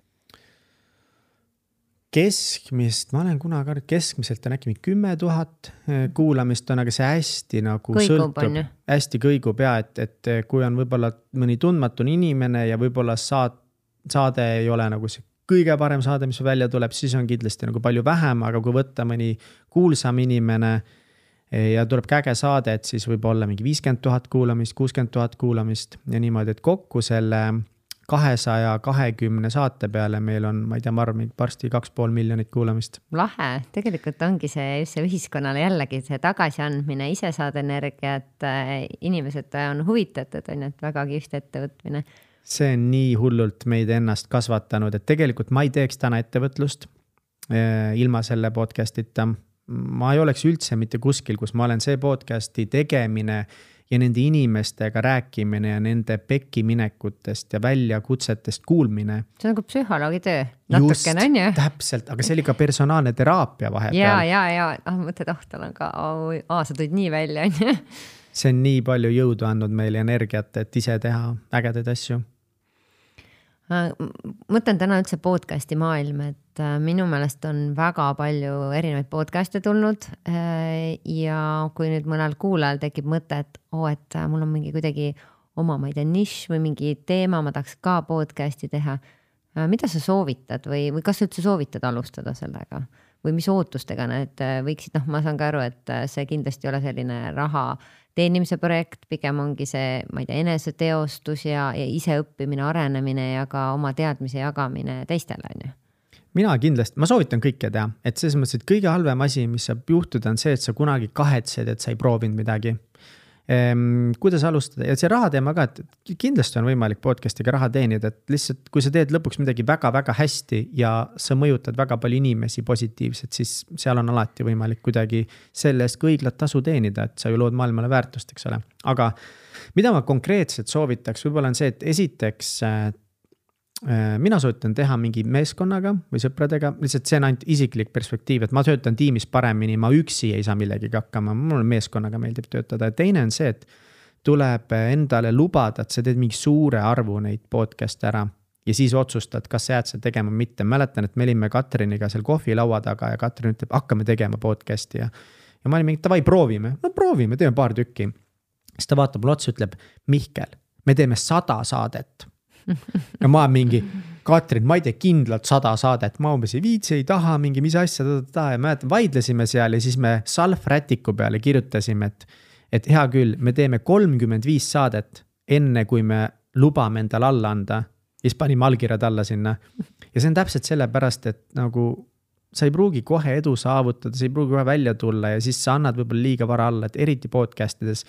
Keskmist, ma olen kunagi arvanud, keskmiselt on äkki kümme tuhat kuulamist on, aga see hästi nagu kõigub, sõltub, hästi kõigub ja, et, et kui on võib-olla mõni tundmatun inimene ja võib-olla saad, saade ei ole nagu see kõige parem saade, mis välja tuleb, siis on kindlasti nagu palju vähem, aga kui võtta mõni kuulsam inimene, ja tuleb käge saade, et siis võib olla mingi viiskümmend tuhat kuulamist, kuuskümmend tuhat kuulamist ja niimoodi, et kokku selle kahesaja kahekümne saate peale meil on, ma ei tea, ma arvan, varsti kaks pool miljonit kuulamist. Lahe, tegelikult ongi see just see ühiskonnale jällegi see tagasiandmine, ise saad energiat, inimesed on huvitatud, on ju, et väga kihvt ettevõtmine. See on nii hullult meid ennast kasvatanud, et tegelikult ma ei teeks täna ettevõtlust eh, ilma selle podcastita. Ma ei oleks üldse mitte kuskil, kus ma olen see podcasti tegemine ja nende inimestega rääkimine ja nende pekkiminekutest ja väljakutsetest kuulmine. See on nagu psühholoogi töö, natukene on ju. Täpselt, aga see oli ka personaalne teraapia vahepeal. Ja, ja, ja, ah, mõtled, oh, tal on ka, oh, aa, sa tulid nii välja, on ju. See on nii palju jõudu andnud meile energiat, et ise teha ägedaid asju. Mõtlen täna üldse podcasti maailm, et minu meelest on väga palju erinevaid podcast'e tulnud ja kui nüüd mõnel kuulajal tekib mõte, et oo, et mul on mingi kuidagi oma, ma ei tea, nišš või mingi teema, ma tahaks ka podcasti teha. Mida sa soovitad või, või kas üldse soovitad alustada sellega? Või mis ootustega need võiksid, noh, ma saan ka aru, et see kindlasti ei ole selline raha teenimise projekt, pigem ongi see, ma ei tea, eneseteostus ja, ja ise õppimine, arenemine ja ka oma teadmise jagamine teistele, on ju? Mina kindlasti, ma soovitan kõike teha, et selles mõttes, et kõige halvem asi, mis saab juhtuda, on see, et sa kunagi kahetsed, et sa ei proovinud midagi. Ehm, kuidas alustada ja see raha teema ka, et kindlasti on võimalik podcastiga raha teenida, et lihtsalt kui sa teed lõpuks midagi väga-väga hästi ja sa mõjutad väga palju inimesi positiivselt, siis seal on alati võimalik kuidagi sellest ka õiglat tasu teenida, et sa ju lood maailmale väärtust, eks ole. Aga mida ma konkreetselt soovitaks, võib-olla on see, et esiteks mina soovitan teha mingi meeskonnaga või sõpradega, lihtsalt see on ainult isiklik perspektiiv, et ma töötan tiimis paremini, ma üksi ei saa millegagi hakkama, mul meeskonnaga meeldib töötada. Ja teine on see, et tuleb endale lubada, et sa teed mingi suure arvu neid podcast ära ja siis otsustad, kas sa jääd seda tegema mitte. Mäletan, et me olime Katriniga seal kohvilaua taga ja Katrin ütleb, hakkame tegema podcasti ja, ja ma olin mingi, tavai, proovime, no proovime, teeme paar tükki. Siis ta vaatab mulle otsa, ütleb, Mihkel, me teeme sada saadet. Ja ma mingi, Katrin, ma ei tee kindlalt sada saadet, ma umbes ei viitsi, ei taha, mingi mis asja ta, ta, ta. Ja mäletan, vaidlesime seal ja siis me salfrätiku peale kirjutasime, et, et hea küll, me teeme kolmkümmend viis saadet enne, kui me lubame endal alla anda. Ja siis panime allkirjad alla sinna. Ja see on täpselt sellepärast, et nagu sa ei pruugi kohe edu saavutada, sa ei pruugi kohe välja tulla ja siis sa annad võib-olla liiga vara alla, et eriti podcastides,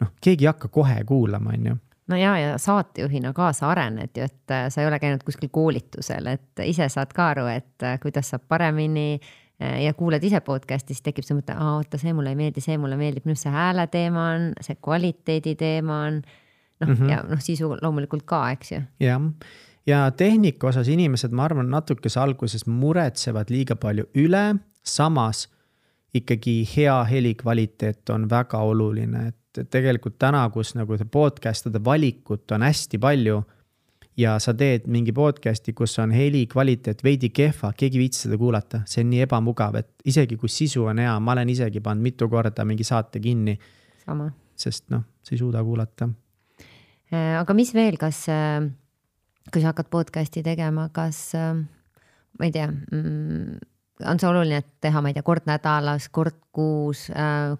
noh, keegi ei hakka kohe kuulama, on ju. No ja, ja saatejuhina kaasa arened ju, et sa ei ole käinud kuskil koolitusel, et ise saad ka aru, et kuidas saab paremini ja kuuled ise podcastis, tekib see mõte, aa, oota, see mulle ei meeldi, see mulle meeldib, minu see hääle teema on, see kvaliteedi teema on, noh, mm-hmm. ja noh, sisu loomulikult ka, eks ju. Ja, ja tehnika osas inimesed, ma arvan, natukese alguses muretsevad liiga palju üle, samas ikkagi hea heli kvaliteet on väga oluline, et tegelikult täna, kus nagu see podcastide valikut on hästi palju ja sa teed mingi podcasti, kus on heli kvaliteet veidi kehva, keegi viitsi seda kuulata, see on nii ebamugav, et isegi kui sisu on hea, ma olen isegi pannud mitu korda mingi saate kinni. Sama. Sest noh, sa ei suuda kuulata. Aga mis veel, kas, kui sa hakkad podcasti tegema, kas, ma ei tea, on see oluline, et teha, ma ei tea, kord nädalas, kord kuus,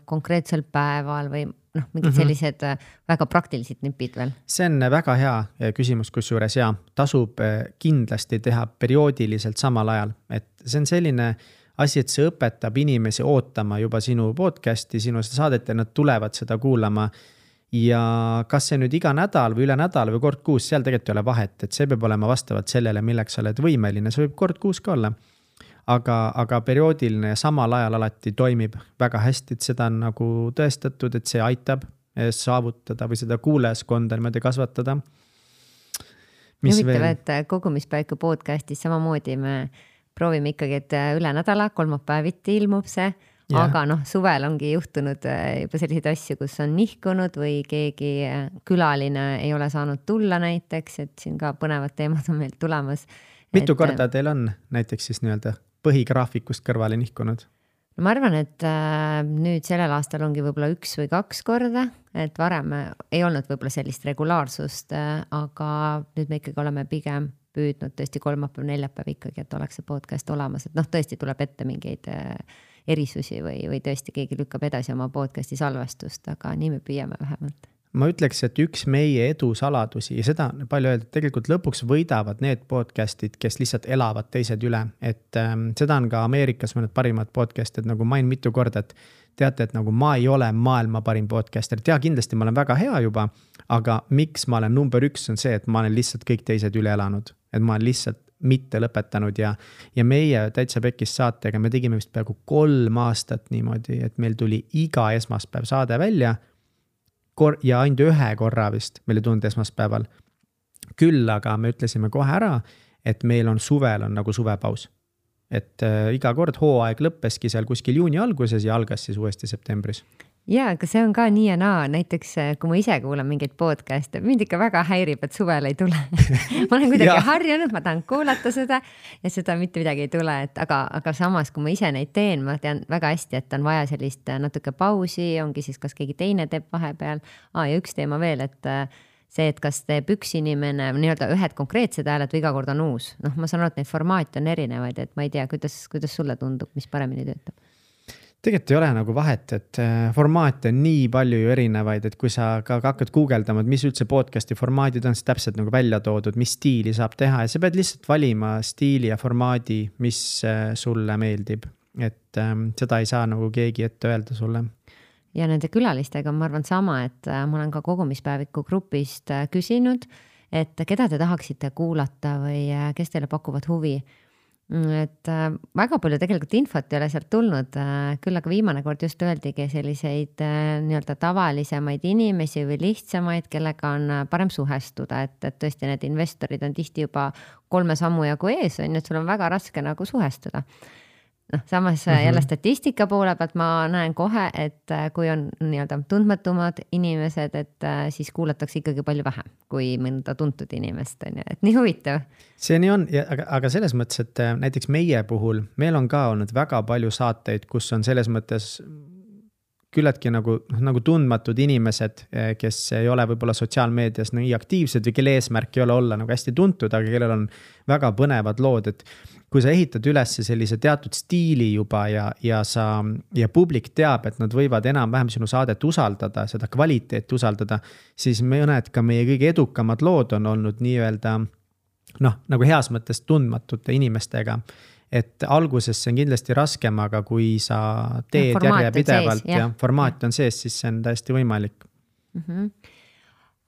konkreetsel päeval või noh, mingid sellised väga praktilised nipid veel? See on väga hea küsimus, kus juures ja tasub kindlasti teha perioodiliselt samal ajal. Et see on selline asi, et see õpetab inimesi ootama juba sinu podcasti, sinu saadet ja nad tulevad seda kuulama. Ja kas see nüüd iga nädal või üle nädal või kord kuus, seal tegelikult ei ole vahet, et see peab olema vastavalt sellele, milleks sa oled võimeline. See võib kord kuus ka olla. Aga, aga perioodiline ja samal ajal alati toimib väga hästi, et seda on nagu tõestatud, et see aitab saavutada või seda kuulajaskonda niimoodi kasvatada. Mis Huvitav, veel? Et kogumispäiku podcastis samamoodi me proovime ikkagi, et üle nädala, kolmapäeviti ilmub see, ja. Aga noh, suvel ongi juhtunud juba selliseid asju, kus on nihkunud või keegi külaline ei ole saanud tulla näiteks, et siin ka põnevad teemad on meil tulemas. Mitu et, korda teil on näiteks siis nii-öelda põhigraafikust kõrvale nihkunud? No ma arvan, et äh, nüüd sellel aastal ongi võib-olla üks või kaks korda, et varem ei olnud võib-olla sellist regulaarsust, äh, aga nüüd me ikkagi oleme pigem püüdnud tõesti kolmapäev, neljapäev ikkagi, et oleks see podcast olemas, et noh, tõesti tuleb ette mingeid äh, erisusi või, või tõesti keegi lükkab edasi oma podcasti salvestust, aga nii me püüame vähemalt. Ma ütleks, et üks meie edu saladusi ja seda on palju öeldud, tegelikult lõpuks võidavad need podcastid, kes lihtsalt elavad teised üle. Et ähm, seda on ka Ameerikas mõned parimad podcastid, nagu main mitu korda, et teate, et nagu ma ei ole maailma parim podcaster. Tea, kindlasti ma olen väga hea juba, aga miks ma olen number üks on see, et ma olen lihtsalt kõik teised üle elanud. Et ma olen lihtsalt mitte lõpetanud ja, ja meie Täitsa Pekkis saatega me tegime vist peaaegu kolm aastat niimoodi, et meil tuli iga esmaspäev saade välja ja ainult ühe korra vist meil ei tulnud esmaspäeval. Küll aga me ütlesime kohe ära, et meil on suvel on nagu suvepaus. Et äh, iga kord hooaeg lõppeski seal kuskil juuni alguses ja algas siis uuesti septembris. Jaa, aga see on ka nii ja naa. Näiteks kui ma ise kuulan mingeid podcast'e, mind ikka väga häirib, et suvel ei tule. ma olen kuidagi harjunud, ma tahan kuulata seda ja seda mitte midagi ei tule. Et aga, aga samas, kui ma ise neid teen, ma tean väga hästi, et on vaja sellist natuke pausi, ongi siis kas keegi teine teeb vahepeal. Aa, ja üks teema veel, et see, et kas teeb üks inimene nii-öelda ühed konkreetsed hääled või iga kord on uus. Noh, ma saan aru, et neid formaate on erinevaid, et ma ei tea, kuidas, kuidas sulle tundub, mis paremini töötab. Tegelikult ei ole nagu vahet, et formaate on nii palju ju erinevaid, et kui sa ka hakkad guugeldama, et mis üldse podcasti formaadid on, siis täpselt nagu välja toodud, mis stiili saab teha ja sa pead lihtsalt valima stiili ja formaadi, mis sulle meeldib. Et ähm, seda ei saa nagu keegi ette öelda sulle. Ja nende külalistega ma arvan sama, et ma olen ka kogumispäeviku grupist küsinud, et keda te tahaksite kuulata või kes teile pakuvad huvi. Et väga palju tegelikult infot ei ole sealt tulnud, küll aga viimane kord just öeldigi selliseid nii-öelda tavalisemaid inimesi või lihtsamaid, kellega on parem suhestuda, et, et tõesti need investorid on tihti juba kolme sammu jagu ees, on, et sul on väga raske nagu suhestuda. noh, samas mm -hmm. jälle statistika poole pealt ma näen kohe, et kui on nii-öelda tundmatumad inimesed, et siis kuulatakse ikkagi palju vähem kui mõnda tuntud inimest, on ju, et nii huvitav. See nii on, ja, aga, aga selles mõttes, et näiteks meie puhul, meil on ka olnud väga palju saateid, kus on selles mõttes küllaltki nagu, nagu tundmatud inimesed, kes ei ole võib-olla sotsiaalmeedias nii aktiivsed või kelle eesmärk ei ole olla nagu hästi tuntud, aga kellel on väga põnevad lood, et kui sa ehitad üles sellise teatud stiili juba ja, ja, sa, ja publik teab, et nad võivad enam-vähem sinu saadet usaldada, seda kvaliteeti usaldada, siis mõned ka meie kõige edukamad lood on olnud nii-öelda noh, nagu heas mõttes tundmatute inimestega. Et alguses see on kindlasti raskem, aga kui sa teed ja järje pidevalt sees, ja, ja formaat on sees, siis see on täiesti võimalik. Mm -hmm.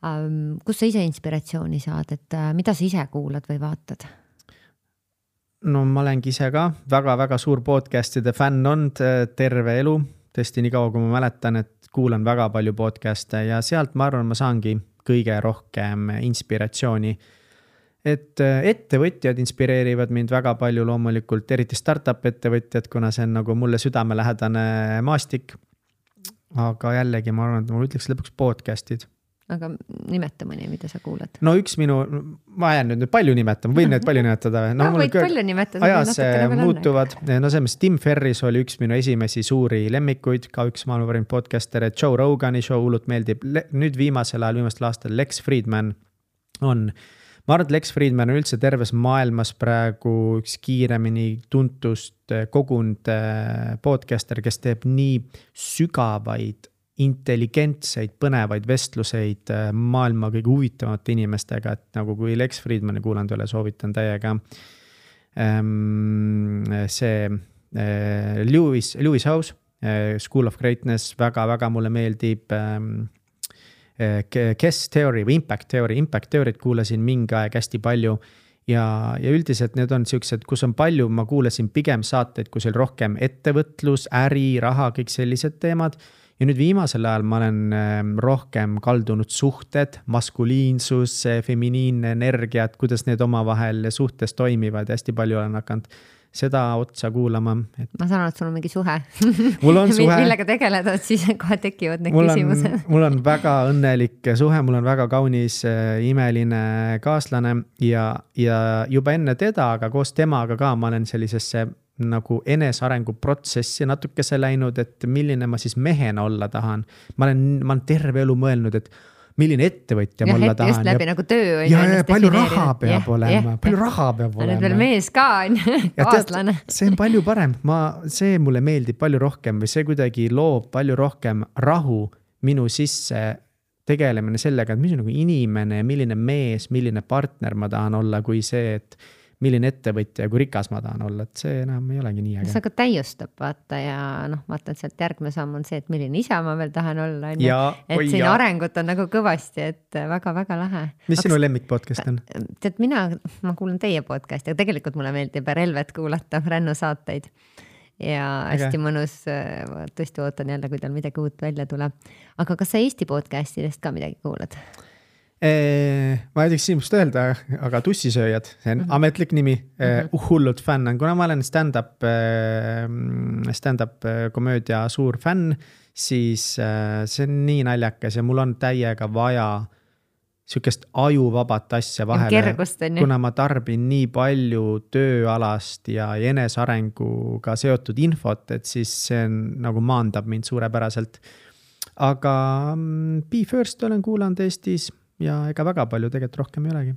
um, kus sa ise inspiratsiooni saad, et uh, mida sa ise kuulad või vaatad? No ma olengi ise ka väga-väga suur podcastide fänn olnud terve elu. Tõesti nii kaua, kui ma mäletan, et kuulan väga palju podcaste ja sealt ma arvan, ma saangi kõige rohkem inspiratsiooni. Et ettevõtjad inspireerivad mind väga palju loomulikult, eriti startup ettevõtjad, kuna see on nagu mulle südamelähedane maastik. Aga jällegi ma arvan, et ma ütleks lõpuks podcastid. Aga nimeta mõni, mida sa kuulad? No üks minu, ma jään nüüd palju nimetama, võin need palju nimetada. No, no võid küll, palju nimetada. Ajas muutuvad, no selles Tim Ferris oli üks minu esimesi suuri lemmikuid, ka üks maailma parim podcaster, Joe Rogani show hullult meeldib. Nüüd viimasel ajal, viimastel aastal Lex Friedman on, ma arvan, et Lex Friedman on üldse terves maailmas praegu üks kiiremini tuntust kogund podcaster, kes teeb nii sügavaid intelligentseid, põnevaid vestluseid maailma kõige huvitavate inimestega, et nagu kui Lex Friedmani kuulanud ole, soovitan täiega. See Lewis, Lewis House, School of Greatness, väga-väga mulle meeldib. Kes Theory või Impact Theory, Impact Theory't kuulasin mingi aeg hästi palju ja, ja üldiselt need on sellised, kus on palju, ma kuulasin pigem saateid, kus oli rohkem ettevõtlus, äri, raha, kõik sellised teemad. Ja nüüd viimasel ajal ma olen rohkem kaldunud suhted, maskuliinsus, feminiinne energia, et kuidas need omavahel suhtes toimivad ja hästi palju olen hakanud seda otsa kuulama. Et... Ma saan aru, et sul on mingi suhe. Mul on suhe. Millega tegeleda, et siis kohe tekivad need mul küsimused. On, mul on väga õnnelik suhe, mul on väga kaunis imeline kaaslane ja, ja juba enne teda, aga koos temaga ka ma olen sellisesse nagu enesarengu protsessi natukese läinud, et milline ma siis mehena olla tahan. Ma olen, ma olen terve elu mõelnud, et milline ettevõtja ja, mulla et tahan. Just läbi ja, nagu töö on. Ja, ja palju raha peab ja, olema, ja, palju raha peab olema. Nüüd veel mees ka on, kaaslane. See on palju parem, ma, see mulle meeldib palju rohkem või see kuidagi loob palju rohkem rahu minu sisse tegelemine sellega, et mis on nagu inimene, milline mees, milline partner ma tahan olla, kui see, et milline ettevõtja ja kui rikas ma tahan olla, et see enam ei olegi nii äge. See ka täiustab, vaata ja noh, vaata, et sealt järgmine samm on see, et milline isa ma veel tahan olla. Ja, et siin ja. arengut on nagu kõvasti, et väga-väga lahe. Mis Aks, sinu lemmik podcast on? Tead, mina, ma kuulan teie podcasti, aga tegelikult mulle meeldib Relvet kuulata, Rännu saateid. Ja hästi okay. mõnus, tõesti ootan jälle, kui tal midagi uut välja tuleb. Aga kas sa Eesti podcastidest ka midagi kuulad? Ma ei teeks siinust öelda, aga Tussisööjad, see on mm-hmm. ametlik nimi, mm-hmm. hullud fänn on, kuna ma olen stand-up, stand-up komöödia suur fänn, siis see on nii naljakas ja mul on täiega vaja sükest ajuvabat asja vahele, kuna ma tarbin nii palju tööalast ja enesarenguga seotud infot, et siis see on, nagu maandab mind suurepäraselt. Aga Be First olen kuulanud Eestis, ja ega väga palju tegelikult rohkem ei olegi.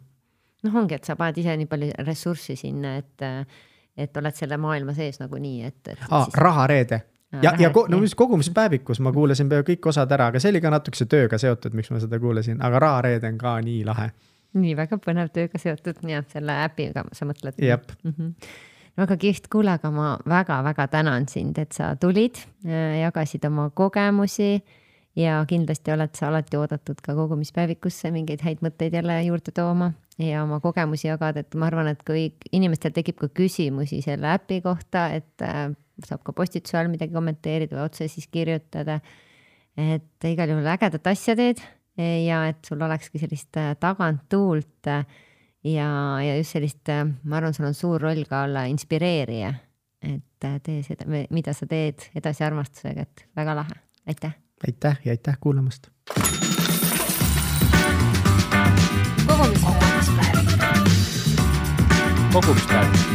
Noh ongi, et sa paned ise nii palju ressurssi sinna, et, et oled selle maailma sees nagu nii, et... et Aa, siis... Rahareede. Ja, ja ko- no, kogumispäevikus ma kuulasin peaaegu kõik osad ära, aga see oli ka natukese tööga seotud, miks ma seda kuulasin, aga Rahareede on ka nii lahe. Nii väga põnev tööga seotud, nii et selle äpiga sa mõtled. Jep. Mm-hmm. Väga kihvt, kuule, aga ma väga-väga tänan sind, et sa tulid, jagasid oma kogemusi ja kindlasti oled sa alati oodatud ka kogumispäevikusse mingeid häid mõtteid jälle juurde tooma ja oma kogemusi jagada, et ma arvan, et kui inimestel tekib ka küsimusi selle äpi kohta, et saab ka postituse all midagi kommenteerida või otse siis kirjutada, et igal juhul ägedat asja teed ja et sul olekski sellist taganttuult ja, ja just sellist, ma arvan, sul on suur roll ka olla inspireerija, et tee seda, mida sa teed edasi armastusega, et väga lahe, aitäh! Aitäh ja aitäh kuulamast. Kogumispäev. Kogumispäev.